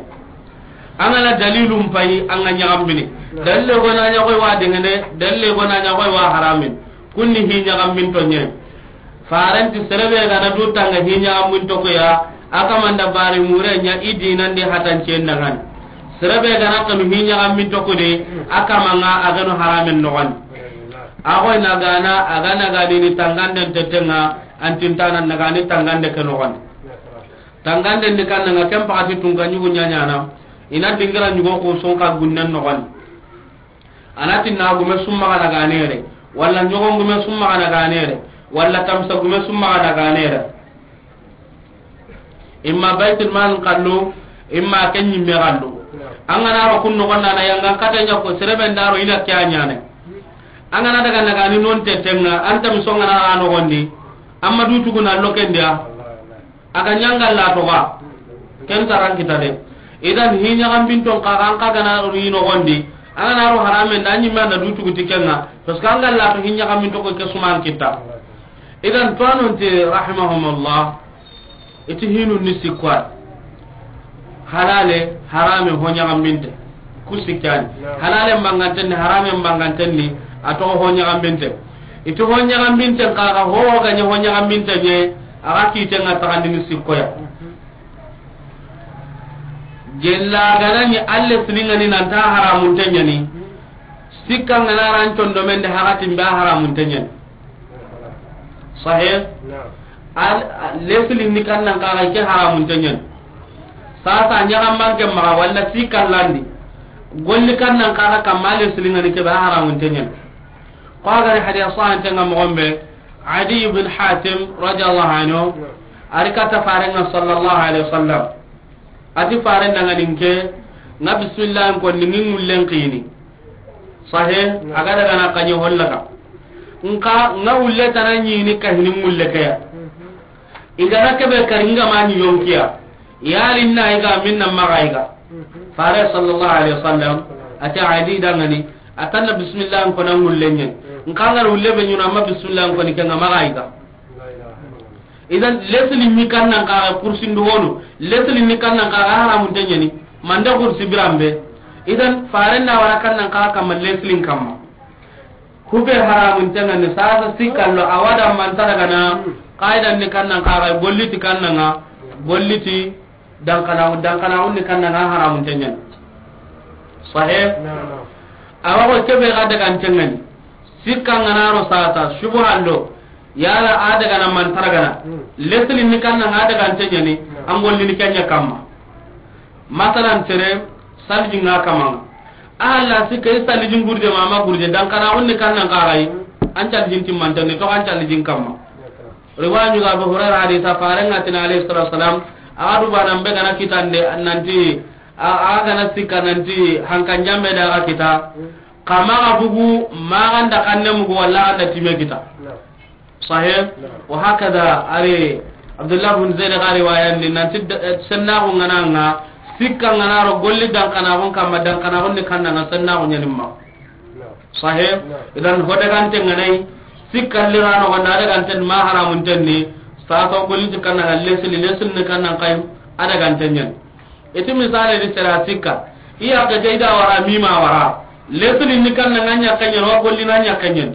An ga na dalilun payi, an ga ɲagambini. Dalile gona ɲagoy wa dengene, dalile gona ɲagoy wa haramin. Kunni hi ɲagambinto ɲai. Farenti serebe ga na du tanga hi ɲagambinto ko ya, a kamanda bari mure ɲa i dinandi hatancen dangani. Serebe ga na kanu hi ɲagambinto ko de, a kamanga a gano haramin nogani. A goy na gana, a gana gani ni tanganden tetenga, An tintana nagani tangande ke noxondi. Tangande ndi kannanga ken pakati tunka ɲugu ɲaɲana. Ina dingira ɲugo ku sonka gunnen noxondi. Ana tinna gume summaxa naganere. Walla ɲogon gume summaxa naganere. Walla tamsa gume summaxa naganere. Imma Baitul Mal xallu, imma ken ɲimme xallu. An ga na ro kun noxon na yangan kata ɲa ko serebe ndaro ina ke a ɲane. An ga na daga nagani non tetenga, an tami songa na a noxondi. Amma du tuguna lokendiya. A ga ɲanga la toga. Ken taran kita de. Idan hi ɲagambinton kaga an kaga na ro i noxondi. An ga na ro haramen da ɲimme na du tugu tikenga. Parce que an ga la to hi ɲagambinto ko ke suman kita. Idan to anonte rahimahumullah. Iti hinu ni sikko ay. Halale, harame ho ɲagambinte. Ku sikkani. Halale mbangantenni, harame mbangantenni, a toxo ho ɲagambinte. Iti ho ɲagambinte kaga ho ga ɲa ho ɲagambinte ɲe, a ga kitenga taxandini sikkoya. Gella ganani alle siningani nanta haramunte ɲani. Sikka ngana ran condomende hakatin be haramunte ɲani. Sahih? Al, al, lesilin ni kannan kaga ke haramun tenyen. Sasa ɲagamban ke maga walla si kallandi. Golli kannan kaga kamma lesilin ngani ke be haramun tenyen. Ko gari hadiya sahan tenga mogombe. Adi ibn Hatim radiyallahu anhu, a ri kata Farenga sallallahu alaihi wasallam. A ti Faren da ŋa ni n ke, ŋa bismillah n ko ni ŋi ŋullen kini. Sahe, a ga daga na kanye hollaka. Nka, ŋa wulle tana ɲini ka hini ŋulle ke ya. I ga na kebe kari ŋa ma ni yonkiya. Yali na i ga minna maga i ga. Fare sallallahu alaihi wasallam, a ti Adi da ŋa ni, a tanna bismillah n ko na ŋulle ɲen. Nka ŋa wulle be ɲuna ma bismillah n ko ni ke ŋa maga i ga. Idan, lesli ni kannan kaga kursin do wono. Lesli ni kannan kaga haramun tenyani. Manda kursi birambe. Idan, Faren da wara kannan kaga kamma leslin kamma. Hube haramun tenyani, sasa sikallo, a wa da manta daga na, qaidan ni kannan kaga, golliti kannan ŋa, golliti dankanaxu, dankanaxun ni kannan ŋa haramun tenyani. Sahe? Naam. A wa ko kebe ga daga n tenyani. Sikka ŋa na ro sasa, subuhan do, yala a daga na manta daga na. Hmm. Lesli ni kannan ŋa daga n tenyani, naam, an gollini kenya kamma. Masalan, tere, salji ŋa kamma. Alla sikka i salji gurde ma ma gurde, dankanaxun ni kannan kaga yi, an salji timmanta ni to an salji kamma. Riwaya ɲuga Abu Hurairah hadisa, Faren ŋa tini alayhi salatu wasalam, a ga du bana mbe ga na kitande, nanti, a, a ga na sikka nanti, hankan jambe da ga kita, kama ga bugu, ma ga nda kanne mugu, walla ga nda time kita. Sahih? Wa hakada, ari, Abdullah bin Zaid ga riwaya ni, nanti, eh, sennaxu ŋa na ŋa, sikka ŋa na ro golli dankanaxun kamma, dankanaxun ni kannan ŋa sennaxu ɲanimma. Sahih? Idan ho dagante ŋa na yi, sikka lirano ga na dagante ma haramun tenni, sasa golliti kannan ŋa lesli, lesli ni kannan kay, a dagante ɲan. Iti misale di sera sikka, iya ga jayda wara mima wara, lesli ni kannan ŋa ɲa kanyan, wa golli na ɲa kanyan.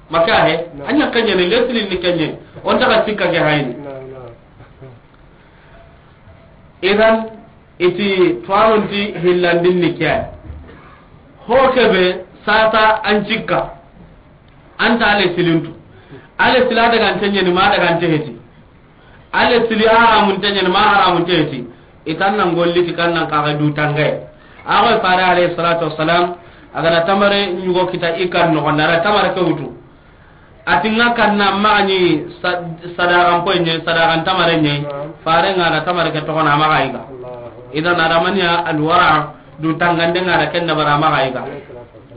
Maka he, a ɲa kanyan, lesli ni kanyan, on ta ga sikka ke hayni. Idan, iti tuwanonti hillandin ni ke. Ho kebe, sasa an cikka. An ta ale silintu. Ale sila daga n tenyani, ma daga n teheti. Ale sili haramun tenyani, ma haramun teheti. Itan nan golliti kannan kaga du tangaye. A ga Fare alayhi salatu wassalam, a ga na tamare ɲugo kita i kan noxon da, a ra tamare ke wutu. A ti ŋa kanna maxa ni sa-, sadaxan poy ɲe, sadaxan tamare ɲe, Fare ŋa da tamare ke toxona maxa yiga. Idan adamaniya alwara du tangande ŋa da ken dabara maxa yiga.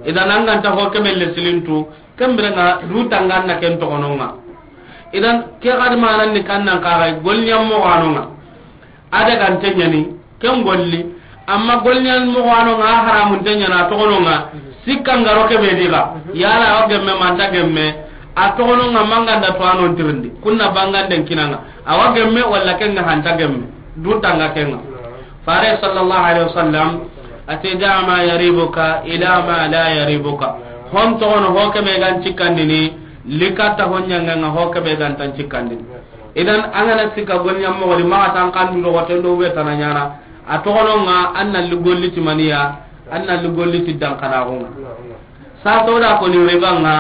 Idan an ga nta ho kebe le silintu, ken bire ŋa du tangan na ken toxono ŋa. Idan ke xadi manan ni kannan kaga golɲan moxo ano ŋa. A daga n tenyani, ken golli, amma golɲan moxo ano ŋa haramun tenyana, a toxono ŋa, sikka ŋa ro kebe diga, yala a wa gemme, ma nta gemme, a toxono ŋa ma ga nda tuwanon tirindi, kunna banganden kinanga, a wa gemme, walla ken ŋa hanta gemme, du tanga ken ŋa. Fare sallallahu alaihi wasallam, a ti, "Da' ma yaribuka ila ma la yaribuka." Hon toxono ho kebe ga n cikkandini, likatta ho ɲanga ŋa ho kebe ga nta n cikkandini. Idan, an ga na sikka golɲan moxo di, maxa tan kandu do xoten do be tana ɲana. A toxono ŋa, an na li golliti maniya, an na li golliti dankanaxu ŋa. Sa to da ko ni riba ŋa,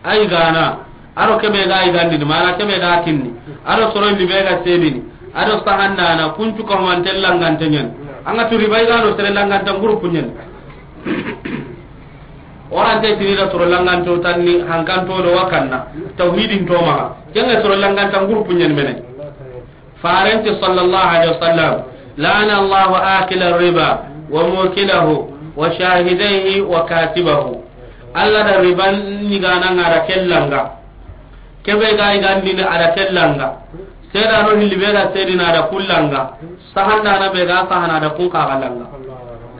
ay gana, a do kebe ga ay gandini, mana kebe ga kinni, a do soro ni be ga sedini, a do sahandana, kuncu ko man tellangante ɲan. An ga tu riba ay gano sere langanta groupe ɲan. Orante tini da soro langanto tanni hankanto do wakanna tawhidin to maxa. Kenga soro langanta groupe ɲen mene. Farenti sallallahu alaihi wasallam, "La'ana Allahu akila riba wa mukilahu wa shahidaihi wa katibahu." Allah da riban ni gana ngara kellanga. Kebe ga igandini ada kellanga. Seda no hilli be ga sedina ada kullanga. Sahanda na be ga sahana da kun ka galanga.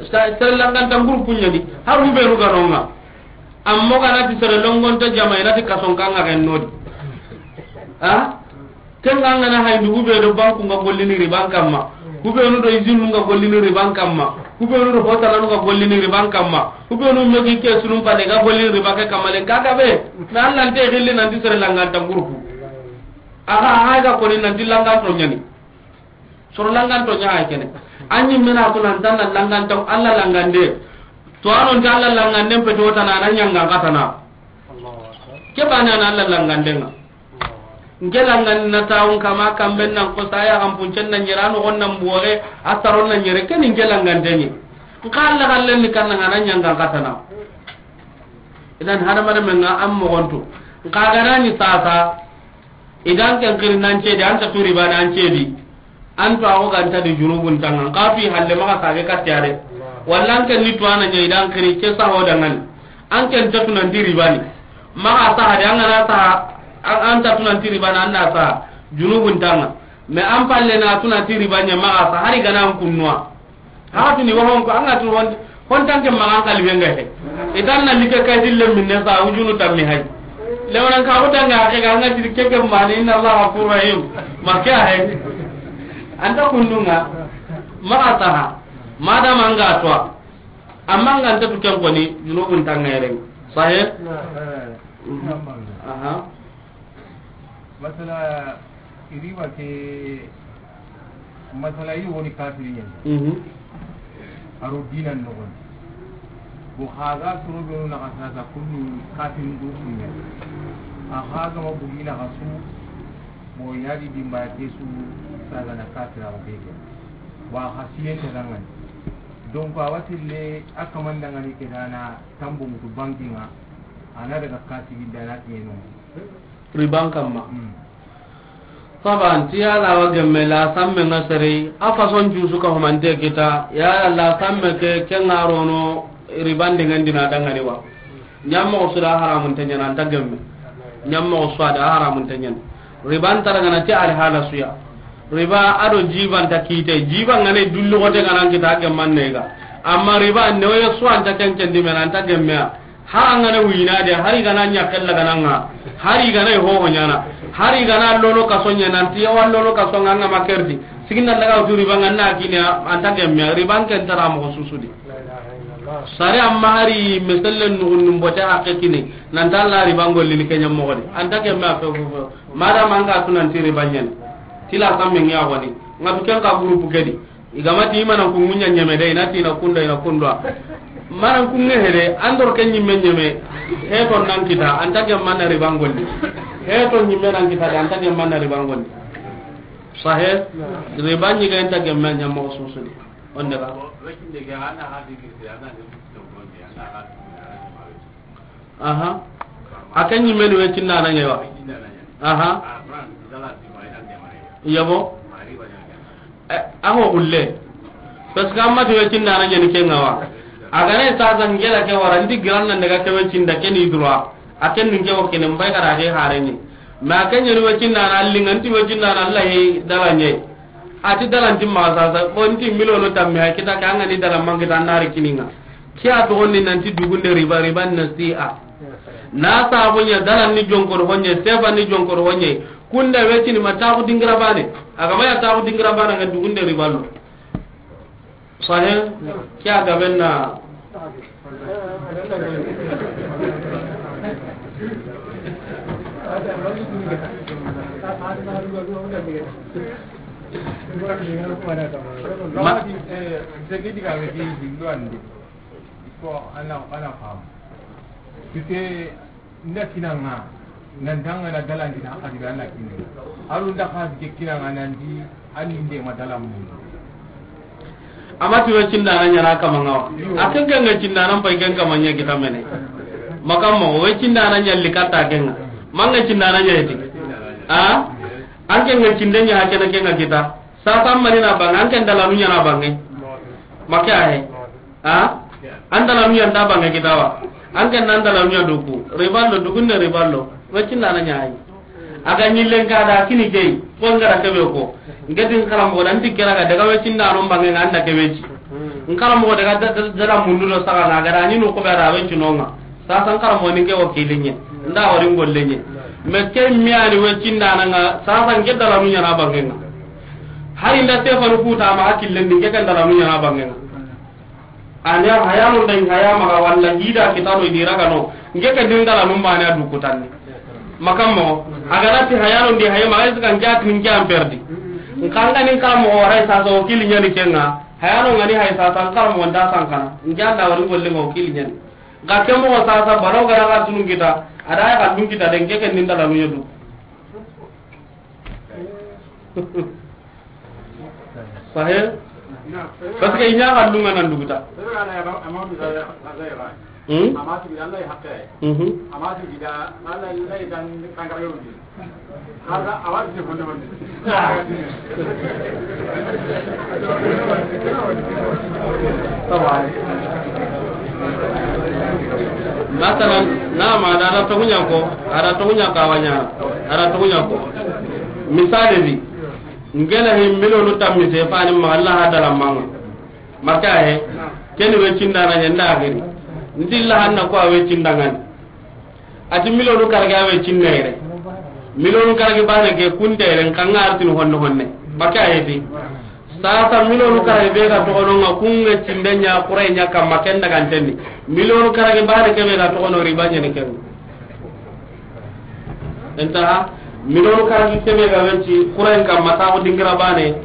Sa-, sere langanta groupe ɲani, har hubenu ga nonga. Amma ga na ti sere longonto jama, i na ti kason kanga ken nodi. Ha? Ken ga ngana hay ndu hube do banku nga gollini riban kamma. Hubenu do izinu nga gollini riban kamma. Hubenu do hotalanu nga gollini riban kamma. Hubenu megi ke sunum pade ga gollini riba ke kamma len kaga be. Na Allah nte gilli nan ti sere langanta groupe. Aha, aha ga koni nan ti langanto ɲani. Soro langanto ɲa ay kene. Anyi mena ko nan tan langanto Allah langande. To anon ta Allah langande pe to tana nan ɲanga katana. Ke bana na Allah langande nga. Nke langan na tawun kama kamben nan ko saya kan puncen nan yira no gonnan bore asaron nan yere ken nke langande ni. Nka Allah kallen ni kan nan ɲanga katana. Idan hadamaren men ŋa an moxontu. Nxa ga na ni sasa, i da an ken xiri nan cedi, an ta tu riba nan cedi. An tu a xo ga nta di junubun tanga. Nxa tu i halle maxa sage kattiyare. Walla an ken ni tu ana ɲa i da an xiri ke saho dangani. An ken ta tu nan ti riba ni. Maxa saha de, an ga na saha, an, an ta tu nan ti riba ni, an na saha junubun tanga. Mais an palle na tu nan ti riba ɲa maxa saha, hari ga na an kunnuwa. Haka tuni wa hon ko an ga tu hon, hon tanke magan kali wenga he. Idan na like kay dille minne sa wujunu tammi hay. Lewanan ka ko tanga ke ga an ga ti ke ke mani, inna Allah ghafurur rahim. Makka hay. An ta kunnunga. Maxa saha. Madama an ga to. Amma an ga nta tu ken koni, junubun tanga yere. Sahih? Aha. Masala, riba ke, masala, i woni kafiri ɲa ni. Mhm. A ro dinan noxon. Bo xa ga soro be na xa sasa kunni kafirin do kunya. A xa ga ma bugina xa su, bo yadi dimba ke su, saga na kafira o bege. Wa xa siyen ta dangani. Donc, a watille a kamandangani ke dana tambo mutu bankinga, a na daga kasigi dana kiyeno. Riban kamma. Hmm. Saban, ti ya la wa gemme la samme nga sere, a façon jusu ka humante kita, ya la samme ke, ke nga rono, riban dengan dina dangani wa. Ɲammoxo su da haramunte ɲana, an ta gemme. Ɲammoxo su da haramunte ɲana. Riba nta daga na ti alhala su ya. Riba a do jiba nta kite. Jiba nga ne dullu xote nga nan kita, a gemman ne ga. Amma riba ne wo su an ta ken ken di me na, an ta gemme ya. Hari an ga na wina de, hari ga na ɲa kella ga na nga. Hari ga na ho ho ɲana. Hari ga na lono kaso ɲa nan ti ya wa lono kaso nga nga makerdi. Sigin na daga wutu riba nga na kini ya, an ta gemme ya. Riba ken ta ra moxo su su di. Sare amma hari meselle nugunun bote hakke kini, nan ta la riba ngolli ni ke ɲammoxo di. An ta ke ma fe, fe, fe. Madama an ga tu nan ti riba ɲani. Ti la samme ŋa woni. Nga tu ken ka groupe ke di. I ga ma ti i ma nan ku ŋuɲa ɲeme de, i na ti i na kunda, i na kunda. Ma nan ku ŋe he de, an do ke ɲimme ɲeme. He to nan kita, an ta ke ma na riba ngolli. He to ɲimme nan kita de, an ta ke ma na riba ngolli. Sahih? Riba ɲi ga an ta ke ma ɲammoxo su su di. On daga. Aha. A ke ɲimme ni weccindana ɲa wa. Aha. Yabo. Eh, a ho xulle. Parce que amma ti weccindana ɲa ni ke ŋa wa. A ga ne sasa ngela ke wara, ndi giran nan daga ke weccinda ke ni droit. A ken ni ke wo kene mbay kara ke hareni. Ma ke ɲa ni weccindana alli nga nti weccindana Allah yi dala ɲe. A ti dalanti maxa sasa, bo nti miliyonu tamme, a kita ke, an ga ni dalan man kita, an na ri kininga. Ke ya toxondi nanti dugunde riba, riba nasi'a. Na sabu ɲa dalan ni jonkor honye, sefa ni jonkor honye. Kunda wetini ma taxu dingira bane. A ga ma ya taxu dingira bane nga dugunde riba lo. Sahih? Ke ya gaben na. Ma- Mama di, eh, segi diga me di hillo andi. Ko ana, ana fam. Kite nda kinanga, nan danga na dalan dina hadi be ana kinne. Alu nda hadi ke kinanga nan di ani nde ma dalan mu. Ama ti weccindana ɲana kama ŋa wa. A ken ken ŋa cindana mpay ken kama ɲa kita mene. Makam mo weccindana ɲalli katta ken ŋa. Ma ŋa cindana ɲa eti. A? An ken ŋa cinde ɲa hakena ken ŋa kita. Sasa mani na bange, an ken dalanu ɲana bange. Make a he. A? An dalanu ɲanta bange kita wa. An ken nan dalanu ɲa duku. Riballo, dugunde riballo. Weccindana ɲa hay. A ga ɲillen ka da kini key, ko n gara kebe ko. N ke ti n karamoxo da, n ti kera ga daga weccinda no bange nga an da kebe ci. N karamoxo daga da, da, da mundu do saga na ga da ni no ko be da wecci no nga. Sasa n karamoxo ni ke wakili ɲe. Nda wari n golle ɲe. Me ke mi ani weccindana nga, sasa n ke dalanu ɲana bange nga. Hari nda Stefanu kuta ma hakillen ni ke kan dalanu ɲana bange nga. Ani a haya no nda haya maga walla hida kitano i di raga no. N ke ke din dalanun bane a du kutanni. Makam mo, a ga na ti haya no ndi haya maga, est-ce que n ke a ti n ke an perdi. N ka nga ni n karamoxo waray sasa wakili ɲani ke nga. Haya no nga ni hay sasa n karamoxo nda sankana. N ke an da wari n golle nga wakili ɲani. Ga ke moxo sasa balaw ga na ga tunun kita. A da ya ga dun kita de n ke ke din dalanu ɲa du. Sahih? Parce que i ɲa ga lunga nan duguta. Hmm? Mhm. Taban. Masalan, na ma da, da togunya ko, ada togunya ko awanya, ada togunya ko. Misali di, ngena hi milonu tammi se fani ma Allah ha dala manga. Maka he, keni we cindana nya nda giri. Ndilla hanna ko we cindangani. Ati milonu karage awe cinna yere. Milonu karage bane ke kunte yere, nka nga artini honne honne. Baka yeti. Sasa milonu karage be ga togono nga kunga cinde nya kure nya kamma ken daga ntenni. Milonu karage bane ke be ga togono riba nya ni ken. Enta milonu karage ke be ga weti kure kamma ta ko dingira bane.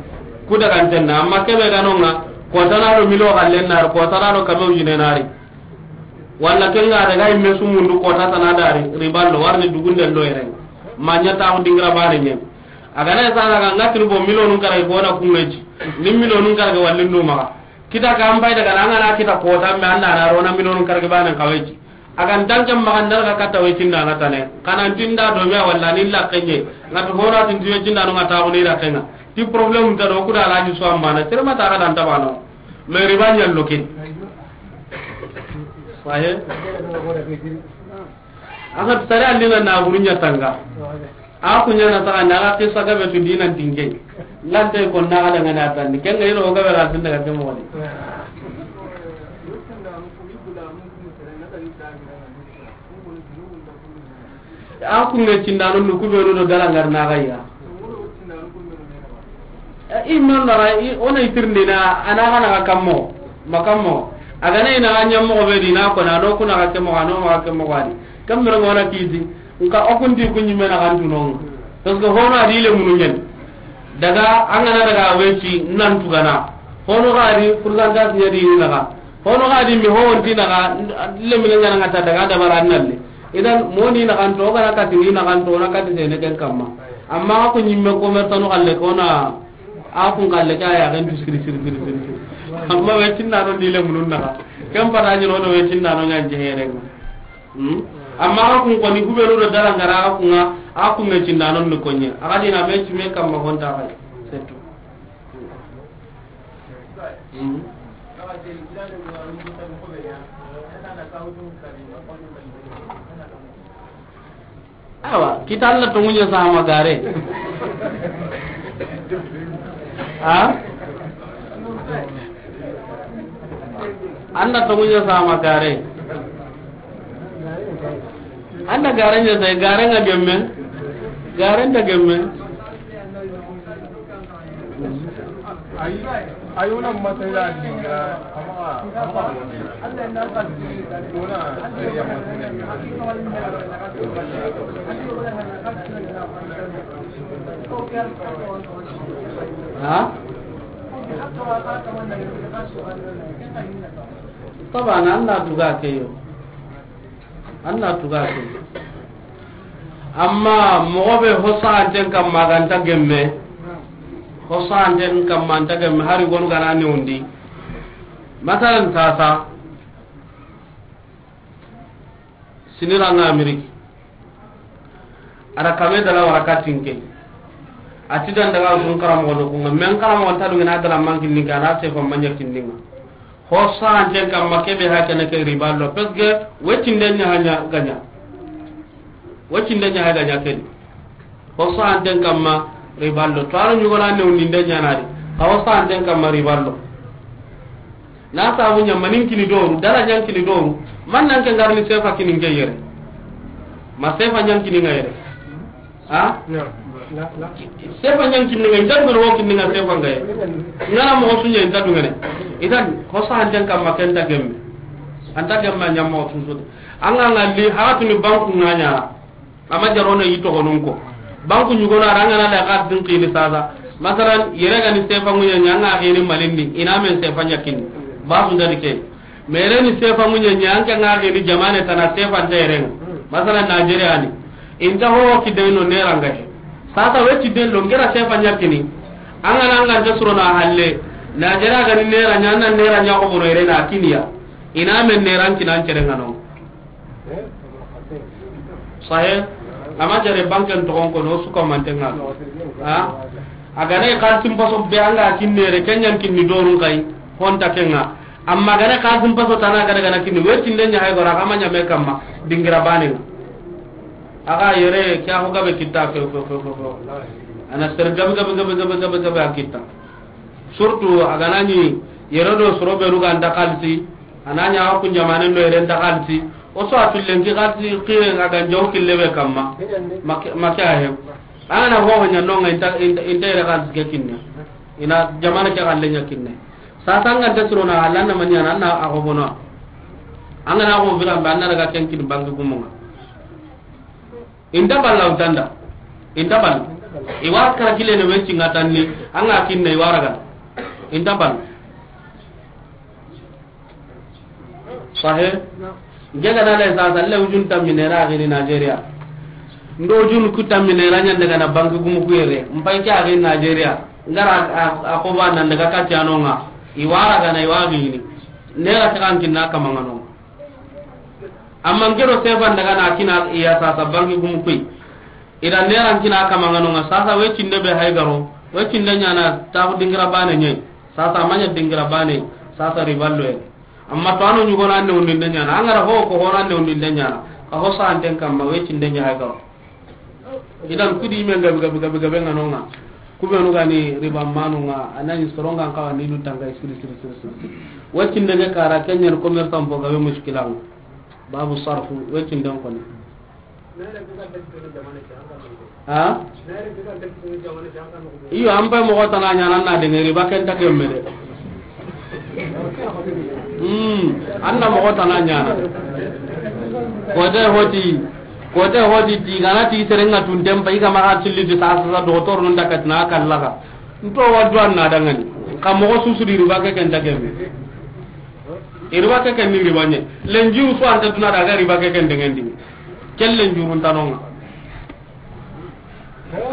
Ku daga ntenna, amma ke be ga nonga, ko tanado milo gallen nar, ko tanado kabe ujine nari. Walla ken ga daga imme sumundu kota tana dari, riballo warni dugunde lo yere. Ma nya ta ko dingira bane nyen. Agana sa daga ngatri bo milonu kara ko na kungeji. Ni milonu kara ga wallin do maga. Kita ka ambai daga nanga na kita kota me anda na rona milonu kara ga bane kaweji. Agan danke maga ndar ga kata we cinda na tane. Kana tinda do me walla ni la kenye. Ngatu hora tin tiwe cinda no ngata ko ni la kenga. Ti problème ta do kuda la ji so amana. Tere mata ga dan tabano. Mais riba ɲa loke. Sahe. Aka tare andina na buru ɲa tanga. A ku ɲa na taga na aka kisa ga be tu dinan tinge. Lante ko na ga daga na tan. Ken ga iro ga be ra tin daga temo wani. A kunge cindano nu ku benu do dala ngar na gayya. I non na i ona itirndina ana kana ga kammo ma kammo. Agana ina anya mo be dina ko na do kuna ga kemo ga no ma kemo ga di. Kambe ngona kiti nka o kunti kunyi mena kan tunon. Parce que hono adi le munu nyen. Daga angana daga weci nan tugana. Hono ga di pourcentage nya di naga. Hono ga di mi ho wonti naga, le mi ngana ngata daga da bara nalle. Idan moni na kanto, gana kati ni na kanto, na kati sene ken kamma. Amma ko nyimme commerçant no galle ko na, a kun galle ka ya gan siri siri siri siri. Amma we cinna no dile munun naga. Ken para ni no we cinna no nyan jeheren. Hmm? Amma a kun ko ni ku be do dala ngara a kun, a kun me cinna no ni konye. A ga di na me ci me kamma honta kay. C'est tout. Hmm. Awa, kita Alla tonŋu ɲa sama gare. Ha? Alla tonŋu ɲa sama gare. Anda gare ɲa sai, gare nga gemme. Gare nda gemme. Ay, ay, una masala dinga, ama, ama, una, ya masala. Ha? Taban, an na duga ke yo. An na tuga ke. Amma moxo be hosaxanten kamma ganta gemme, hosaxanten kamma anta gemme, hari gonu gana newundi. Masalan, sasa, siniranga Ameriki. Ada kame dala wara katinke. Ati dan daga sun karamoxo no kunga. Men karamoxo nta dungina dala mankinninga, ana sefa manya kinninga. Hosaxanten kamma kebe hakene ke riba lo, parce que wetinde ɲa hanya ganya. Wetinde ɲa ha ganya ken. Hosaxanten kamma riba lo. To aro ɲugona newndinde ɲanari. Ka hosaxanten kamma riba lo. Na sabu ɲa manin kini doru, dala ɲan kini doru. Man nan ke ngarni sefa kini nge yere. Ma sefa ɲan kini nga yere. Ha? Sefa ɲan kinni nga, inta dungene wo kinni nga sefa nga ye. Ngana moxo su ɲa inta dungene. Idan, hosaxanten kamma ken nta gemme. Anta gemme a ɲa moxo su su de. Anga nga li, haxatuni banku nga ɲa. Ama jarone yi toxonun ko. Banku ɲugona, ara ngana da xa din xini sasa. Masalan, yere gani sefa ŋuɲa ɲa, anga xini malindi. Ina men sefa ɲa kinni. Basu ndadi ke. Mere ni sefa ŋuɲa ɲa, anke nga geni jamane tana sefa nta yere nga. Masalan, Nigeria ni. Inta ho ki deno nera nga he. Sasa weti den lo ngera sefa ɲa kini. Anga na anga nta suro na halle. Nigeria gani nera ɲa, na nera ɲa ko bono yere na kiniya. I na men ne ran kinan cere ŋa no. Sahe, ama jare banken toxon kono, su ko manten ŋa. Ha? A ga na i xalisin paso be an ga kinne re, ken ɲan kinni dorun kay, honta ken ŋa. Amma a ga na i xalisin paso tana ga daga na kinni, wetinde ɲa hay gora, kama ɲa me kamma, dingira baane ŋa. A ga yere, ke a ho gabe kitta, fe, fe, fe, fe, fe. A na sere gabe, gabe, gabe a kitta. Surtout, a ga na ɲi, yere do soro be ru ga nta xalisi, a na ɲa a kun jamanen do yere nta xalisi, o so a tullen ki xalisi, xiren a ga njaw kille be kamma, make, make a he. A ga na ho ɲa no ŋa, inta, inta, inta yere xalisi ke kinne. I na jamana ke xalle ɲa kinne. Sasa an ga nta siro na, a la na ma ɲa na, na a ho bono. An ga na ho biran be, an na daga ken kin banki gumu ŋa. Inta balla utanda. Inta balla. I wa kara kile ne wecci ŋa tanni, an ga kinne i wa raga. Inta balla. Sahe? Nge ga na le sasa, le ujun tammi ne ra gini Nigeria. Ndo ujun ku tammi ne ra ɲan daga na banki gumu ku yere. Mpai ke a gini Nigeria. Ngara a, a, a ko ba nan daga kati a no ŋa. I wa raga na i wa gini. Ne ra ta kan kinna kama ŋa no. Amma ngero sefan daga na kina iya sasa banki gumu ku yi. I da ne ran kina kama ŋa no ŋa sasa, wecinde be hay garo. Wecinde ɲa na ta dingira baane ɲe. Sasa ma ɲa dingira baane, sasa riballo ye. Amma to a no ɲugo na ne undinde ɲa na. An ga ra ho ko ho na ne undinde ɲa na. Ka ho sa anten kamma, wecinde ɲa hay garo. Idan kudi men gabe, gabe, gabe, gabe ŋa no ŋa. Ku be nu ga ni riba manu ŋa, a na ɲi sorongan kawa ni du tanga siri, siri, siri, siri. Wacinde ke kara ken ɲa ni commerçant fo gabe muskilan. Babu sarfu, wacinde ko ni. Ha? Iyo, an pay moxo tana ɲaana na denge riba ken ta gemme de. Hmm, an na moxo tana ɲaana. Kote hoti, kote hoti ti gana ti serenga tunten pa i ga maxa tilli ti sasa, sasa docteur nun dakatina kallaga. Nto wa duwan na dangani. Ka moxo susu di riba ke ken ta gemme. I riba ke ken ni riba ɲe. Lenjuru so anta duna daga riba ke ken dengendi. Ken lenjuru ntanonga.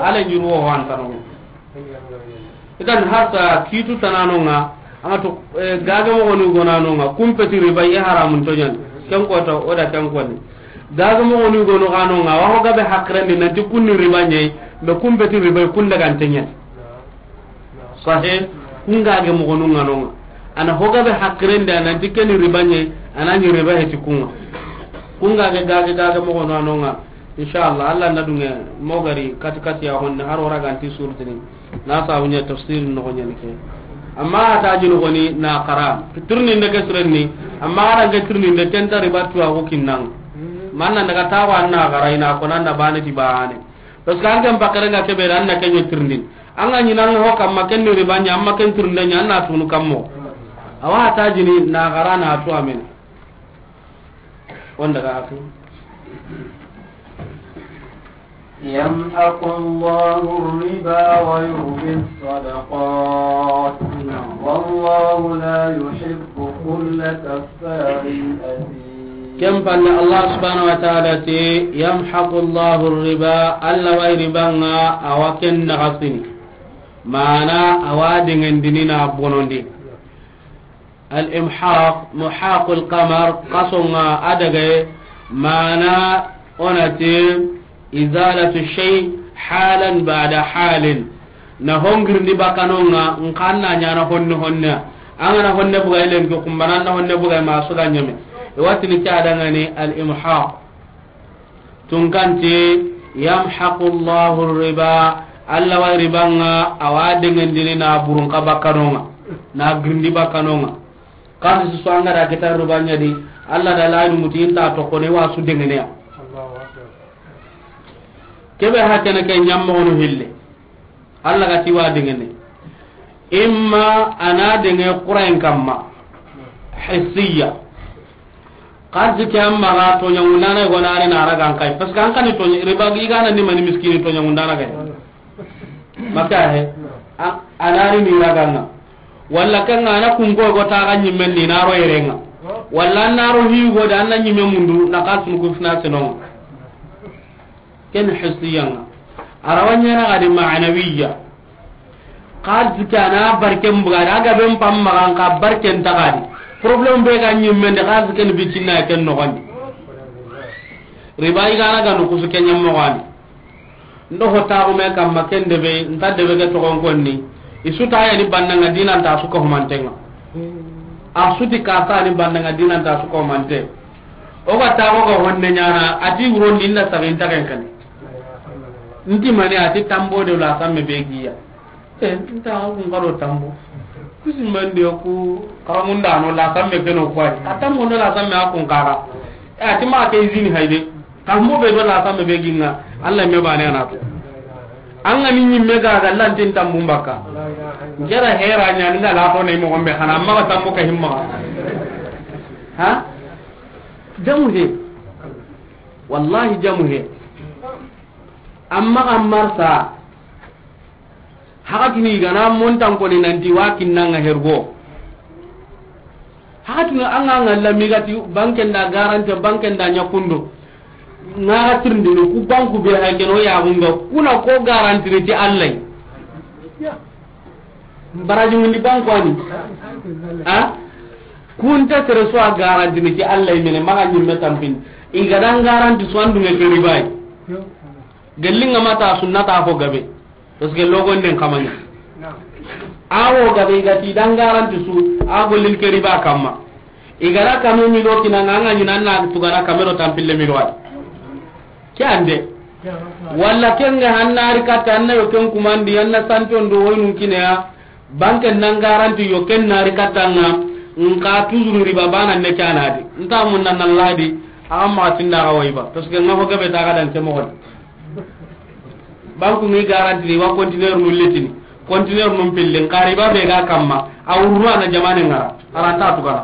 A lenjuru wo antanonga. Idan harta kitu tananonga. Anga to, eh, gage moxo ni gonanonga. Kumpeti riba ye haramun toɲan. Ken kota oda ken koni. Gage moxo ni gono ganonga. Wa ho gabe hakrendi nanti kunni riba ɲe. Be kumpeti riba kun daga ntenyen. Sahe, kun gage moxonu ŋa no ŋa. A na ho gabe hakkiren di, a nanti ken ni riba ɲe, a na ɲi riba heti kun ŋa. Kun gage, gage, gage moxonu a no ŋa. Inshallah, Allah na dunge mo gari kati kati ya honne, har wara ganti surtini. Na sabu ɲa tafsir noxo ɲani ke. Amma a ta jinu xoni na xara. Tirninde ke sirenni, amma a range tirninde ken ta riba tuwa ko kinnan. Manna daga tawa na xara ina ko nan da bane ti bane. Parce que an ken bakare nga kebe an na kenyo tirindin. An ga ɲi nan ho kamma ken ni riba ɲa, amma ken tirinde ɲa, an na tunu kammo. Awa ta jini na xara na tu amen. Wanda ga aku. يمحق الله الربا ويربي الصدقات والله لا يحب كل كفار أثيم. Ken palle Allah subhanahu wa ta'ala ti, "Yamhaqu Allahu riba," Allah wa riba nga awa ken naxasini. Mana awa dengendini na bonondi. Al-imhaq, muhaqul qamar, kasonga adage, mana onati izalatu shay halan ba'da halin. Na hongirndi bakanonga, nkanna ɲana honne honne. Angana honne buga ilen ko kumbana na honne buga ma suga ɲame. E watini ke adangani al-imhaq. Tunkanti, "Yamhaqu Allahu riba," Allah wa ribanga awa dengendini na burun ka bakanonga, na girndi bakanonga. Kasi su angara kita riba ɲadi, Allah da layi muti inta to kone wa su dengeneya. Kebe hakene ke ɲammono hille. Allah ga ti wa dengene. Imma ana denge Qur'an kamma. Hissiya. Xarsi ke amma ga toɲa ŋundana go na are na raga an kay. Parce que an kani toɲa riba gi gana ni mani miskini toɲa ŋundana ga. Maka he. A, anari ni raga nga. Walla kan nga na kun go go ta ga ɲimmen ni na ro yerenga. Walla na ro hi go da na ɲimme mundu na xarsi ku fina senonga. Ken hissiya nga. Arawa ɲana ga di ma'nawiya. Xarsi ke ana barken buga da, a ga ben pam magan ka barken ta ga di. Problème be ga ɲimme nde, xaalis ken bitinna ken noxondi. Riba i ga na ga no kusu ken ɲammoxondi. Ndo ho taxu me kamma ken debe, nta debe ke toxon konni. I su ta yani bannanga dinanta su ko humantenga. A su ti kasa ni bannanga dinanta su ko humante. O ga taxo ga honne ɲana, a ti wurondi nda saginta ken kani. Nti mani a ti tambo de la samme be giya. E, nta kun karo tambo. Kusi mandi ku karamunda no la samme keno kwai. A tambo no la samme a kun kara. E, a ti ma ke izini hayde. Tambo be do la samme be ginga. Allah me bane na to. An ga ni ɲimme ga ga lantin tambu mbaka. Ngera hera ɲa ni la to ne mo gombe xana ma tambo ka himma. Ha? Jamu he. Wallahi jamu he. Amma amarsa. Hakatuni i ga na montan koni nanti wa kinnanga hergo. Hakatuni an ga ngalla migati banken da garante, banken da ɲakundo. Nga ga tirndini ku banku be hay keno ya gunga kuna ko garantini ti Allah. Baraji mundi banku ani. Ha? Kunta sere so a garantini ti Allah mene maga ɲimme tampin. I ga dan garanti so andu me ke ribai. Gellinga mata sunnata ko gabe. Parce que logon den kamanya. Awo gabe i ga ti dan garanti su a gollin ke riba kamma. I ga ra kame milo kinanga anga ɲina na tugana kamero tampille milo ay. Ke ande. Walla kenga hannari katta anna yo ken kumandi anna santon do woynun kineya. Banken nan garanti yo ken nari kattanga. Nka toujours riba bana ne kanadi. Nta mun nan ladi. Amma tinda ga wayba. Parce que nga ho gabe ta ga dan ke mo. Banku ngi garanti ni wa conteneur nu letini, conteneur nu pille, nkari ba be ga kamma, a wurru ana jamane ngara, aranta tugana.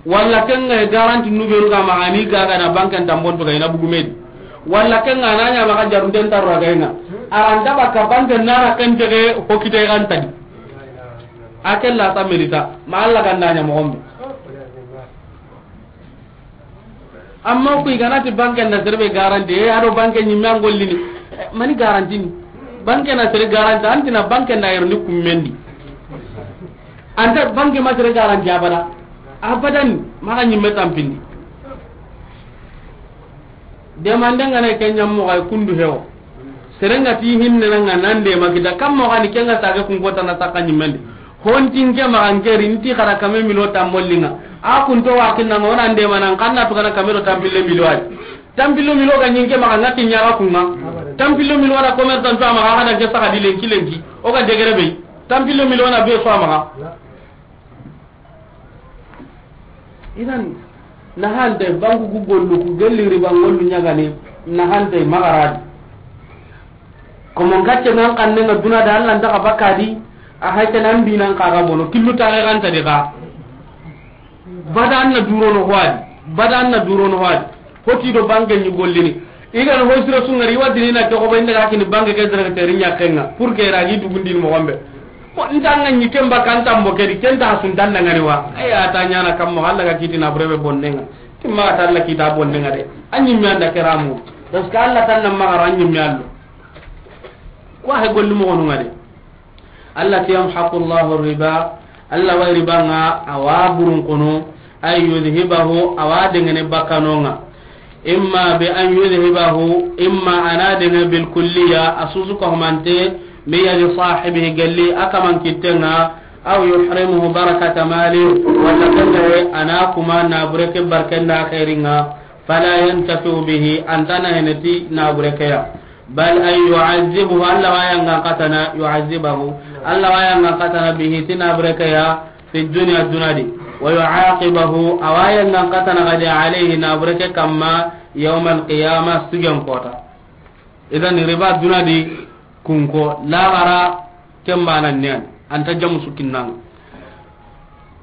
Walla kenga garanti nu be ga ma ani ga ga na banken tambon to ga ina bugumedi. Walla kenga na nya ma ga jarun den tarra ga ina. Aranta ba ka banken nara kan tege hokite kan tadi. Akella ta merita, ma Allah ganda nya mo gombe. Amma ku i ga na ti banken da sere be garanti, e, ado banke ɲimme an gollini. E, mani garanti ni? Banken na sere garanti, antina banken da yerni kummendi. Anta banke ma sere garanti abada. Abadan, maga ɲimme tampindi. Demande nga na ke ɲammo ga kundu hewo. Serenga ti hinne na nga nan de ma kita kammo ga ni kenga sage kun kota na saka ɲimmendi. Hontin ke ma an keri nti xara kame milo tambollinga. A kun to wa kinna ma wona nde ma nan kanna to kana kame do tampille milo ay. Tampille milo ga ɲinke ma ngati ɲaga kunga. Tampille milo na commerçant to ma ga da ke saka di lenki lenki. O ga degere be. Tampille milo na be so ma ga. Idan, nahante, banku ku gollu, ku gelli riba ngollu ɲagani, nahante, magaradi. Komo ngacce nan kanne nga duna da Allah ndaka bakadi, a hayte nan bi nan kaga bono, killu tare ganta de ga. Bada anna durono hoadi, bada anna durono hoadi. Hoti do banke ni gollini. I ga na ho siro su ngari, i wa dini na ke xobo inda ga kini banke ke directeur ɲaxenga. Pour que ragi dugundini mo gombe. Ko nta nga ni kemba kan tambo ke di, kenta sun tan ngani wa. Ay, a ta ɲana kammo, Allah ga kiti na burebe bonnenga. Timma ta Allah kita bonnenga de. Anyi mi anda keramu. Parce que Allah tan na magara anyi mi allo. Ko he gollu mo gonu ngade. Allah ti yamhaqu Allahu riba, Allah wa riba nga awa burun kono, ay yudhibahu, awa dengene bakanonga. Imma bi an yudhibahu, imma ana denge bil kulliya, asusu ko humante, bi yadi sahibihi galli akaman kitenga, aw yuhrimuhu barakata mali, wala kende ana kuma na bureke barkenda khairinga, fala yantafi'u bihi, antana heneti na bureke ya. Bal ay yu'azzibuhu, Allah wa yangan katana, yu'azzibahu, Allah wa yangan katana bihi, ti na bureke ya, fi dunya, dunadi, wa yu'aqibahu, awa yangan katana gadi alayhi, na bureke kamma, yawmal qiyamah, sigen kota. Idan riba dunadi kunko, lagara kembana nian, anta jamu sukinnang.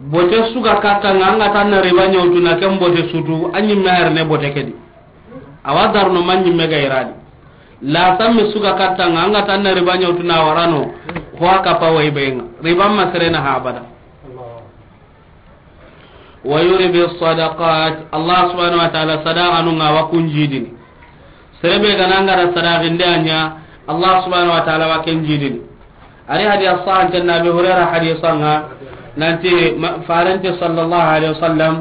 Bote suga kattanga, anga tanna riba nyawtuna ken bote sutu, anyi meher ne bote kedi. Awa darno manyi mega iradi. La samme suga kattanga, anga tanna riba nyawtuna warano, kwa kapa wai benga. Riba ma serena ha abada. Wa yurbi sadaqat, Allah subhanahu wa ta'ala sadaqa nunga wa kunjidini. Serebe gananga da sadaqinde anya, Allah subhanahu wa ta'ala wa kenjidini. Ari hadith sahih tan Abi Hurairah hadith sanga. Nanti ma-, farante sallallahu alaihi wasallam,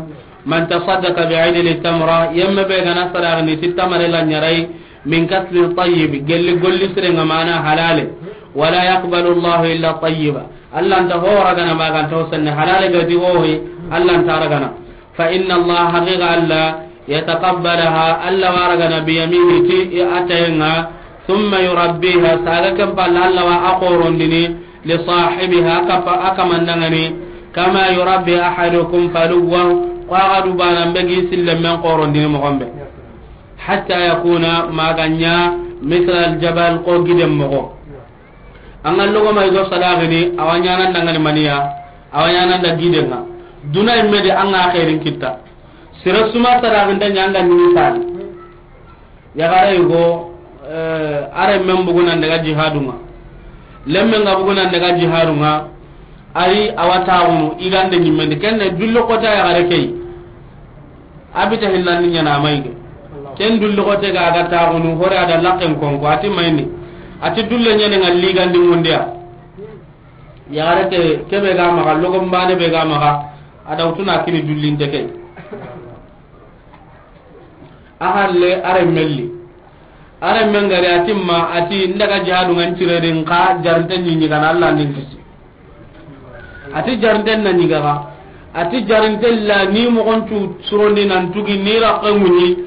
man tasaddaqa bi idli tamra, yemme be ga na sadaxini ti tamare la ɲarai, min kasbin tayyib, gelli golli sirenŋa mana halale, wala yaqbalu Allahu illa tayyiba. Allah nta ho ragana ma ga nta ho senne halale ga di ho yi, Allah nta ragana. Fa inna Allah, haqiqa Allah, yataqabbalaha, Allah wa ragana bi yaminihi ti i atayenŋa, thumma yurabbiha, saga ken palla Allah wa a xorondini, li sahibiha, a kapa-, a kamandaŋani, kama yurabbi ahadukum faluwahu, ko a ga du bana be gi sille men xorondini moxo be. Hatta yakuna, ma ga ɲa, mithla al jabal, ko giden moxo. An ga logo ma i go sadaxini, a wa ɲaana ndangani maniya, a wa ɲaana nda gidenŋa. Duna imme de an ga xeerin kitta. Sere su ma sadaxinta ɲa an ga ni misali. Yaxare i go, eh, a renmen bugu nan daga jihadunŋa. Lemmen ga bugu nan daga jihadunŋa. Ari a wa taxunu, i gande ɲimmendi. Kenne dulli xota yaxare ke yi. A bita hillandi ɲana a mayge. Ken dulli xote ga a ga taxunu, hore a da laqqen konko, a ti mayni. A ti dulle ɲene ŋa ligandi mundiya. Yaxare ke, kebe ga maxa, logon bane be ga maxa, a da wutuna kini dullinte ke. A halle, a renmen li. A renmen gari a ti ma, a ti, n daga jihadunŋa n cireri, n xa jarinte ɲiɲi gana Allah nin kisi. A ti jarinten na ɲigaxa. A ti jarinten la ni moxon cu surondi nan tugi ni raxe ŋuɲi.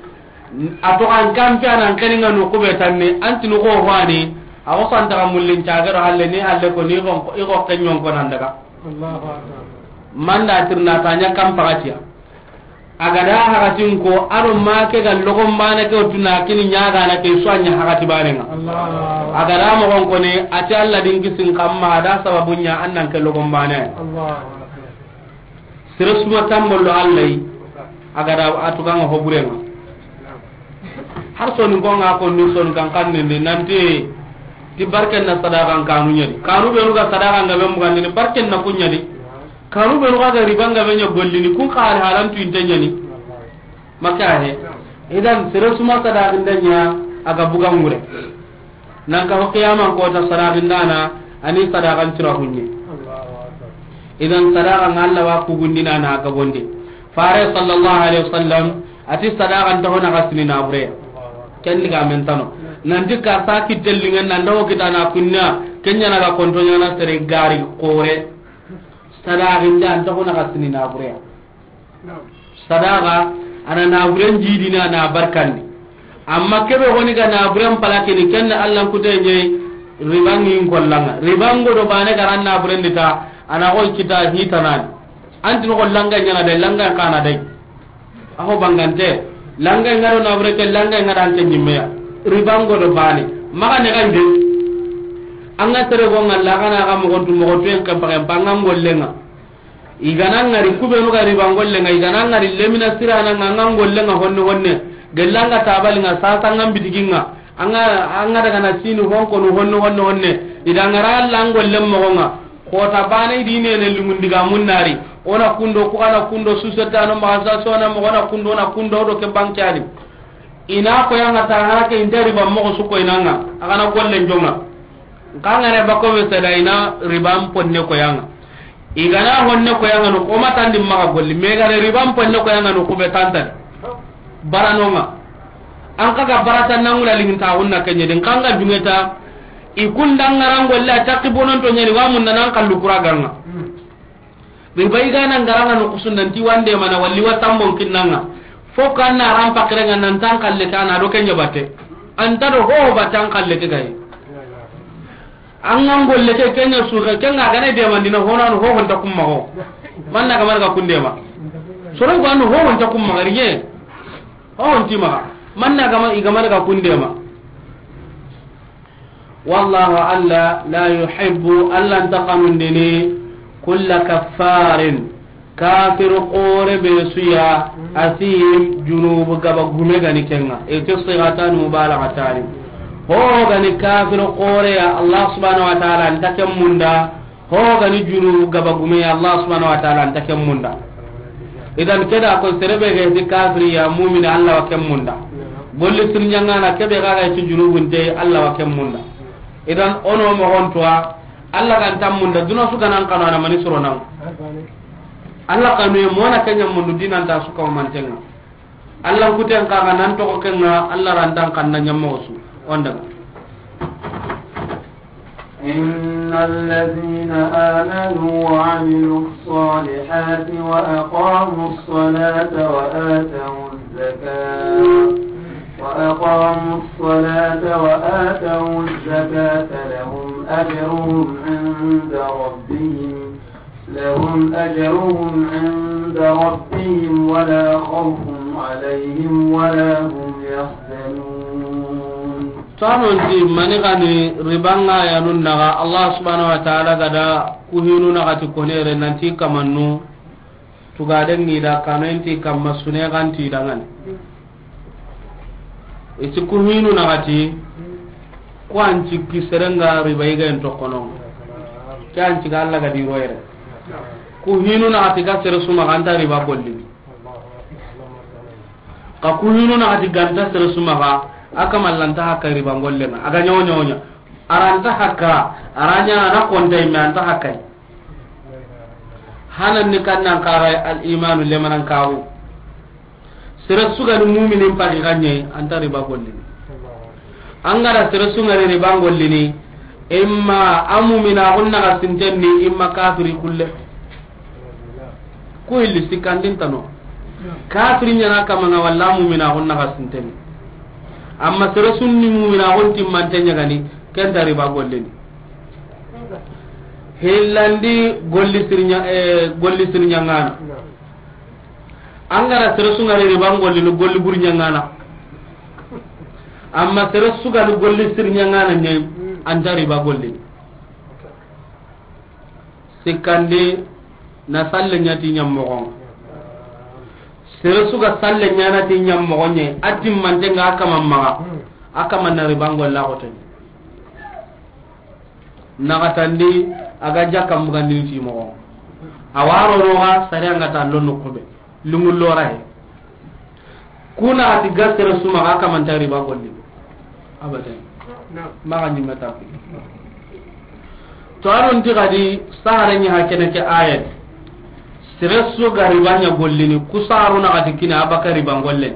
A toxan kampe a nan xeninŋa no kube tanne, an tini xo hoani. A xo santaxa mullin cagero halle ni halle ko ni xo, i xo xenɲon ko nan daga. Allahu Akbar. Manda tirna ta ɲa kampaxatiya. A ga da haratin ko, a do ma ke ga logon bane ke, o tuna kini ɲaagana ke, su a ɲa harati bane ŋa. Allahu Akbar. A ga da moxon koni, a ti Allah din kisin kamma, a da sababu ɲa an nan ke logon bane. Allahu Akbar. Sere su ma tambollo Allah yi, a ga da a tugaŋa ho burenŋa. Har soni ko ŋa ko ni soni kan kan ni nanti, ti barken na sadaxan kanu ɲa di. Kanu be nu ga sadaxan ga be mugandini, barken na ku ɲa di. Kanu be nu ga riba nga be ɲa gollini, kun xa hal halan tu inte ɲani. Maka he. Idan sere su ma sadaxinda ɲa a ga buga ŋure. Nan ka ho qiyaman kota sadaxindana, ani sadaxan cira hunye. Idan sadaxa nga Allah wa kugundina na a ga bonde. Fare sallallahu alaihi wasallam, a ti sadaxan ta hona ga sini na bure. Ken diga men tano. Nan di ka sa kitellingen nan dawo kitana kunna, kenya na ga konto ɲana sere gari kore. Sadaxinde an toxo na xa sini nabureya. Sadaxa, a na naburen jidini, a na barkandi. Amma kebe xoni ga naburen palakini, ken na Allan kute ɲe, riba ŋin kollanga. Riba ŋo do bane ga ran naburen di ta, a na xoy kita hitanani. Anti no langa ɲana de, langa kana de. Axo bangante, langa ŋa do nabure ke, langa ŋa do an ke ɲimmeya. Riba ŋo do bane. Maxa ne gande. An ga tere go ŋa la, xa na ga moxontu, moxontu en ke paxe, panga ŋollenga. I ga na ŋari kubenu ga riba ŋollenga, i ga na ŋari lemina sirana ŋa, ŋa ŋollenga honne honne. Gellanga tabalinga, sasa ŋa bitiginga. Anga, anga daga na sini honkonu honne honne honne. I da ŋara Alla ŋollen moxonga. Xota bane i di nene lungundiga munnari. Ona kundo, ku ana kundo, susetano maxa sa sona moxo, ona kundo, ona kundo do ke bankani. I na koyanga ta hara ke inta riba moxo su koynanga. A ga na gollen jonga. Kangare bako be seda i na riban ponne koyanga. I ga na honne koyanga no, o matandi maxa golli. Me gare riban ponne koyanga no, kube tantadi. Baranonga. An xa ga barata nangula linginta hunna kenye din kanga dungeta. I kunda ŋaran golle a takki bononto ɲani wa mun nan kallu kura ganga. Be bay gana ngaranga no kusundanti wande mana walli wa tambon kinnanga. Fo kan na ran pakirenga nan tan kalle kana do kenya batte. Anta do ho batte an kalle ke gayi. An ŋa golle ke kenya su ke kenga gane de mandina hona no ho honta kumma ho. Manna ga marga kundema. Soro go an ho honta kumma gariye. Ho honti ma. Manna ga ma i ga marga kundema. Wallahu Alla la yuhibbu, Alla nta xanundini, kulla kaffarin, kafir xore be suya, asim, junubu gaba gume gani kenga. Iti sigatani mubalagatani. Ho gani kafir xore ya, Allah subhanahu wa ta'ala nta ken munda. Ho gani junubu gaba gume ya, Allah subhanahu wa ta'ala nta ken munda. Idan keda ko serebe ga ti kafiri ya, mu'mini, Allah wa ken munda. Golli sirnyangana kebe ga ga ti junubunte, Allah wa ken munda. Idan ono moxontuwa, Allah ga nta munda, duna su ganan kano ana mani suro nan. Alla xanuye, mona ke ɲa mundu dinanta su kahumanten ŋa. Alla n kuten xa ga nan toxo ken ŋa, Alla rantan xanna ɲammoxo su. O n daga. إن الذين آمنوا وعملوا الصالحات وأقاموا الصلاة وآتوا الزكاة، وأقاموا الصلاة وآتوا الزكاة لهم أجرهم عند ربهم، لهم أجرهم عند ربهم ولا خوف عليهم ولا هم يحزنون. Tanonti mani gani ribanga yanun naga Allah subhanahu wa ta'ala gada kuhinu naga ti konere nanti kamannu tugaden ŋi da kanoenti kamma sune ganti dangani. Iti kuhinu naga ti ko an cikki serenga riba yiga en tokono. Ke an ciga Allah gadi royere. Kuhinu naga ti ga sere suma ganta riba gollini. Ka kuhinu naga ti ganta sere suma ga, aka mallanta hakka riba ngollenga. Aga nyawo nyawo nya. Aranta hakka, aranya na konta ime anta hakka. Hanan ni kannan kaga al imanu lemanan kawu. Sere sugani muminin pagi ganye anta riba gollini. Angara sere sugani riba gollini, imma a mumina gunna ga sintenni, imma kafiri kulle. Ku hilli sikkandin tano. Kafiri ɲana kamanga walla mumina gunna ga sintenni. Amma sere sunni mumina gun timmante ɲagani, kenta riba gollini. Hillandi golli sirnya, eh, golli sirnya ngana. Angara sere sugari riba gollini golli burnya ngana. Amma sere sugari golli sirnya ngana ɲai, anta riba gollini. Sikkandi na salle ɲati ɲammoxon. Sere suga salle ɲanati ɲammoxon ɲe, a timmante nga a kaman maxa, a kaman na riba golla xoteni. Naxatandi a ga jakka mbugandini ti moxo. A waro noxa sare anga ta lonno kube. Lungullo rahe. Kuna ati ga sere suma ga kamanta riba golli. Abadan. Maxa ɲimme tapi. To anon ti gadi sahare ɲi ha kene ke ayat. Sere su ga riba ɲa gollini ku saru na gadi kina abaka riba golle.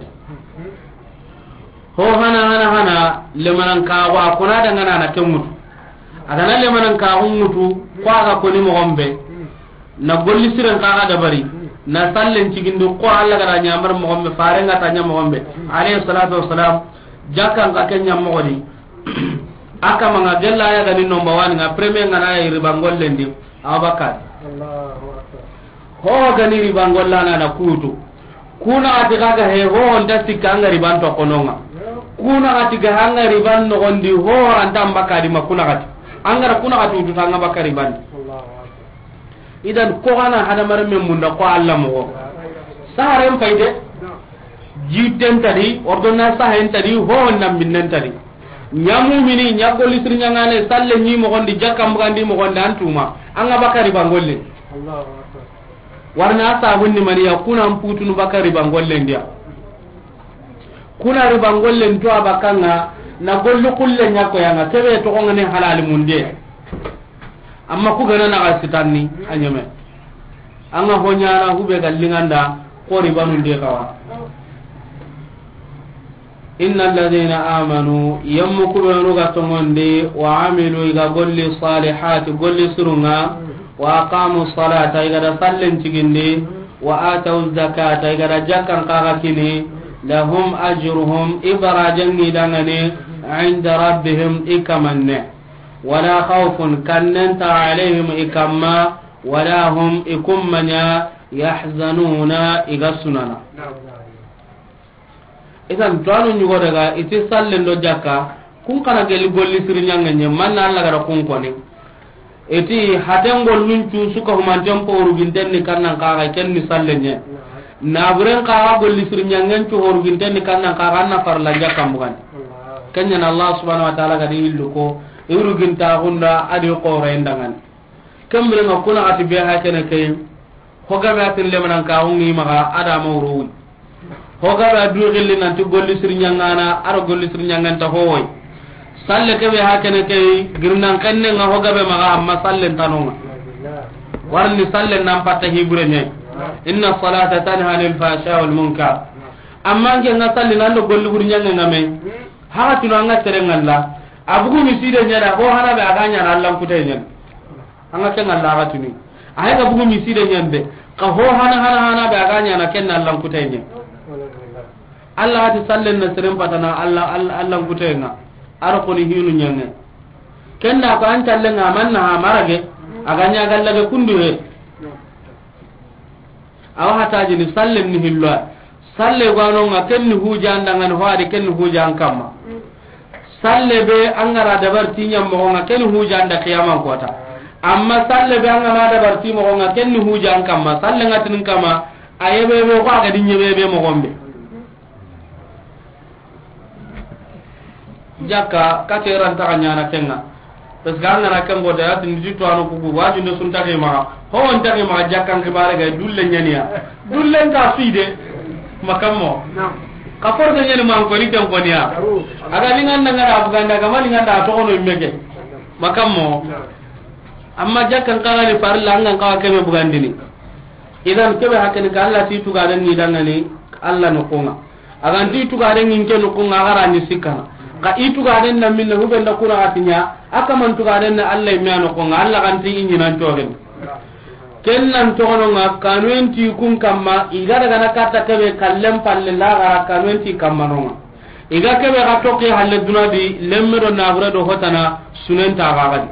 Ho hana hana hana lemanan kaxu a kona dangana na ke ŋutu. A gana lemanan kaxu ŋutu ko a ga koni moxon be. Na golli siren kaxa dabari. Na sallen cigindi ko Allah gada ɲamar moxon be, faren ga ta ɲa moxon be. Alayhi salatu wassalam. Jakkan ka ke ɲa moxoni. A kamanga gella ya gani nomba wani nga premier ngana ya riba gollendi. Abakar. Allahu akbar. Ho gani riba gollana na kutu. Kuna ati kaga he ho nda sikka anga riban to kononga. Kuna ati ga anga riban no gondi ho anta mbakadi ma kuna ati. Angara kuna ati utu tanga bakari ban. Idan ko gana hada mare men munda ko Allah mo. Saren fayde. Jitten tadi, ordonnance sahen tadi, ho ndam binnen tadi. Ɲa mumini, ɲa golli sir ɲangane, salle ɲi moxondi, jakka mbugandi moxondi, antuma. Anga bakari bangolle. Allahu akbar. Warna sabun ni maniya, kuna mputunu bakari bangolle ndiya. Kuna riba ngollen to abakanga, na golli kulle ɲa ko yanga, kebe to ngane halali munde. Amma ku gana na ga sitanni, a ɲeme. Anga ho ɲana hube ga linganda, ko riba nun de kawa. Inna alladhina amanu, yammu kubenu ga tongondi, wa amilu, iga golli salihati, golli surunga, wa aqamu salata, iga da sallen cigindi, wa atawu zakata, iga da jakkan kaga kini, lahum ajruhum, ibarajangi dangani, inda rabbihim, ikamanne. Wala khawfun, kannenta alayhim, ikamma, wala hum, ikummanya, yahzanuna, iga sunana. Idan tuwanu ɲugo daga iti sallen do jakka, kun kana geli golli siri ɲangenye, manna Allah gara kun koni. Iti haten gollun cu suka humanten poru ginten ni kannan kaga ken ni sallenye. Naburen kaga golli siri ɲangen cu horu ginten ni kannan kaga anna farla jakka mbugan. Kenya na Allah subhanahu wa ta'ala gadi illu ko, iru ginta gunda adi qore ndangan. Kembere nga kuna ati be ha kene kay. Hogabe atin lemanan ka ungi maga ada mawruwi. Hogabe adu gilli nanti golli sir ɲangana, aro golli sir ɲanganta hoy. Salle kebe ha kene kay, girnan kenne nga hogabe maga amma sallen tanonga. Warni sallen nan patta hibure ne. Inna salata tanha anil fahsha wal munkar. Amma an ke nga salli nan do golli buri ɲange nga me. Haga tunu an ga sere nga la. A bugu miside ɲa da, ho hana be a ga ɲa na Allan kutay ɲa. An ga ke nga la haga tunu. A hay ga bugu miside ɲa be. Ka ho hana, hana, hana be a ga ɲa na ken na Allan kutay ɲa. Allah hati sallen na seren patana Allah, Allah, Allah ngute nga. Ar koni hinu ɲange. Ken da ko an talle nga man na ha marage. A ga ɲa galla ge kundu he. Awa hataji ni sallen ni hillo. Salle gano nga ken ni hujan dangan ho adi ken ni hujan kamma. Salle be an ga ra dabar ti ɲa moxo nga ken ni hujan da qiyaman kota. Amma salle be an ga na dabar ti moxo nga ken ni hujan kamma. Salle nga tin kamma. A yebe be ko a ga di ɲebe be moxo be. Jakka, kate ran taxa ɲana kenga. Parce que an gana ken gota, ya tindi to anu kuku, waju ne sun taxi maxa. Ho on taxi maxa jakkan kibare ga dulle ɲaniya. Dulle nga suide. Makammo. Ka force ɲani man ko ni ken ko niya. Aga ni nganda ngara buganda, ga mani nganda to kono mege. Makammo. Amma jakkan kala ni farilla an gan kawa kebe bugandini. Idan kebe hakene ka Allah ti tugaren ni dangani Allah no konga. A ga nti tugaren ŋin ke noxo ŋa, a ga ra ni sikkana. Xa i tugaren na minna, hube nda kuna xa ti ɲa, a kaman tugaren na Allah i me a noxo ŋa, Allah ga nti i ɲinan cogen. Ken nan toxono ŋa, kanuyen ti kun kamma, i ga daga na katta kebe kallen palle la ga ra kanuyen ti kamma no ŋa. I ga kebe ga toxi halle duna di, lemme do naxure do hotana, sunen ta ga ga di.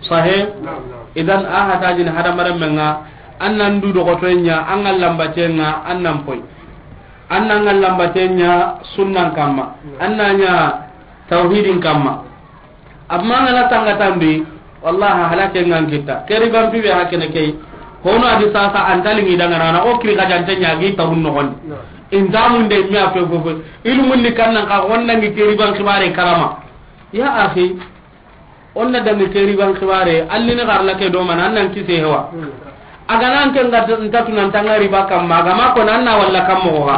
Sahe? Idan a hata jin hadamaren men ŋa, an nan du doxotoyen ɲa, an ga lambaten ŋa, an nan poy. An na ŋa lambaten ɲa sunnan kamma. An na ɲa tawhidin kamma. Amma ŋa na tanga tambi, wallahi halake ŋan kita. Ke riban pibe hakene kei. Hono adi sasa an talingi dangana, na o kiri kajante ɲa gi tawun noxondi. Intamun de mi a fe fo fo. Ilmun ni kannan ka wondangi ke riban kibare karama. Ya akhi, on na dangi ke riban kibare, alli ni garla ke do man, an nan kise hewa. A ga nan ke nga nta tunan tanga riba kamma, a ga ma ko nan na walla kammo ga.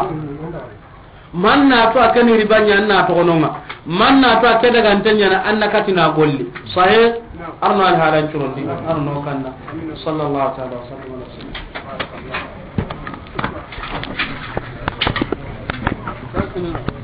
Man na to a ke ni riba ɲa, an na toxono ŋa. Man na to a ke daga nte ɲa na, an na katina golli. Sahe, arno al halan curondi, arno kanna. Sallallahu ta'ala wa sallam ala sayyidina.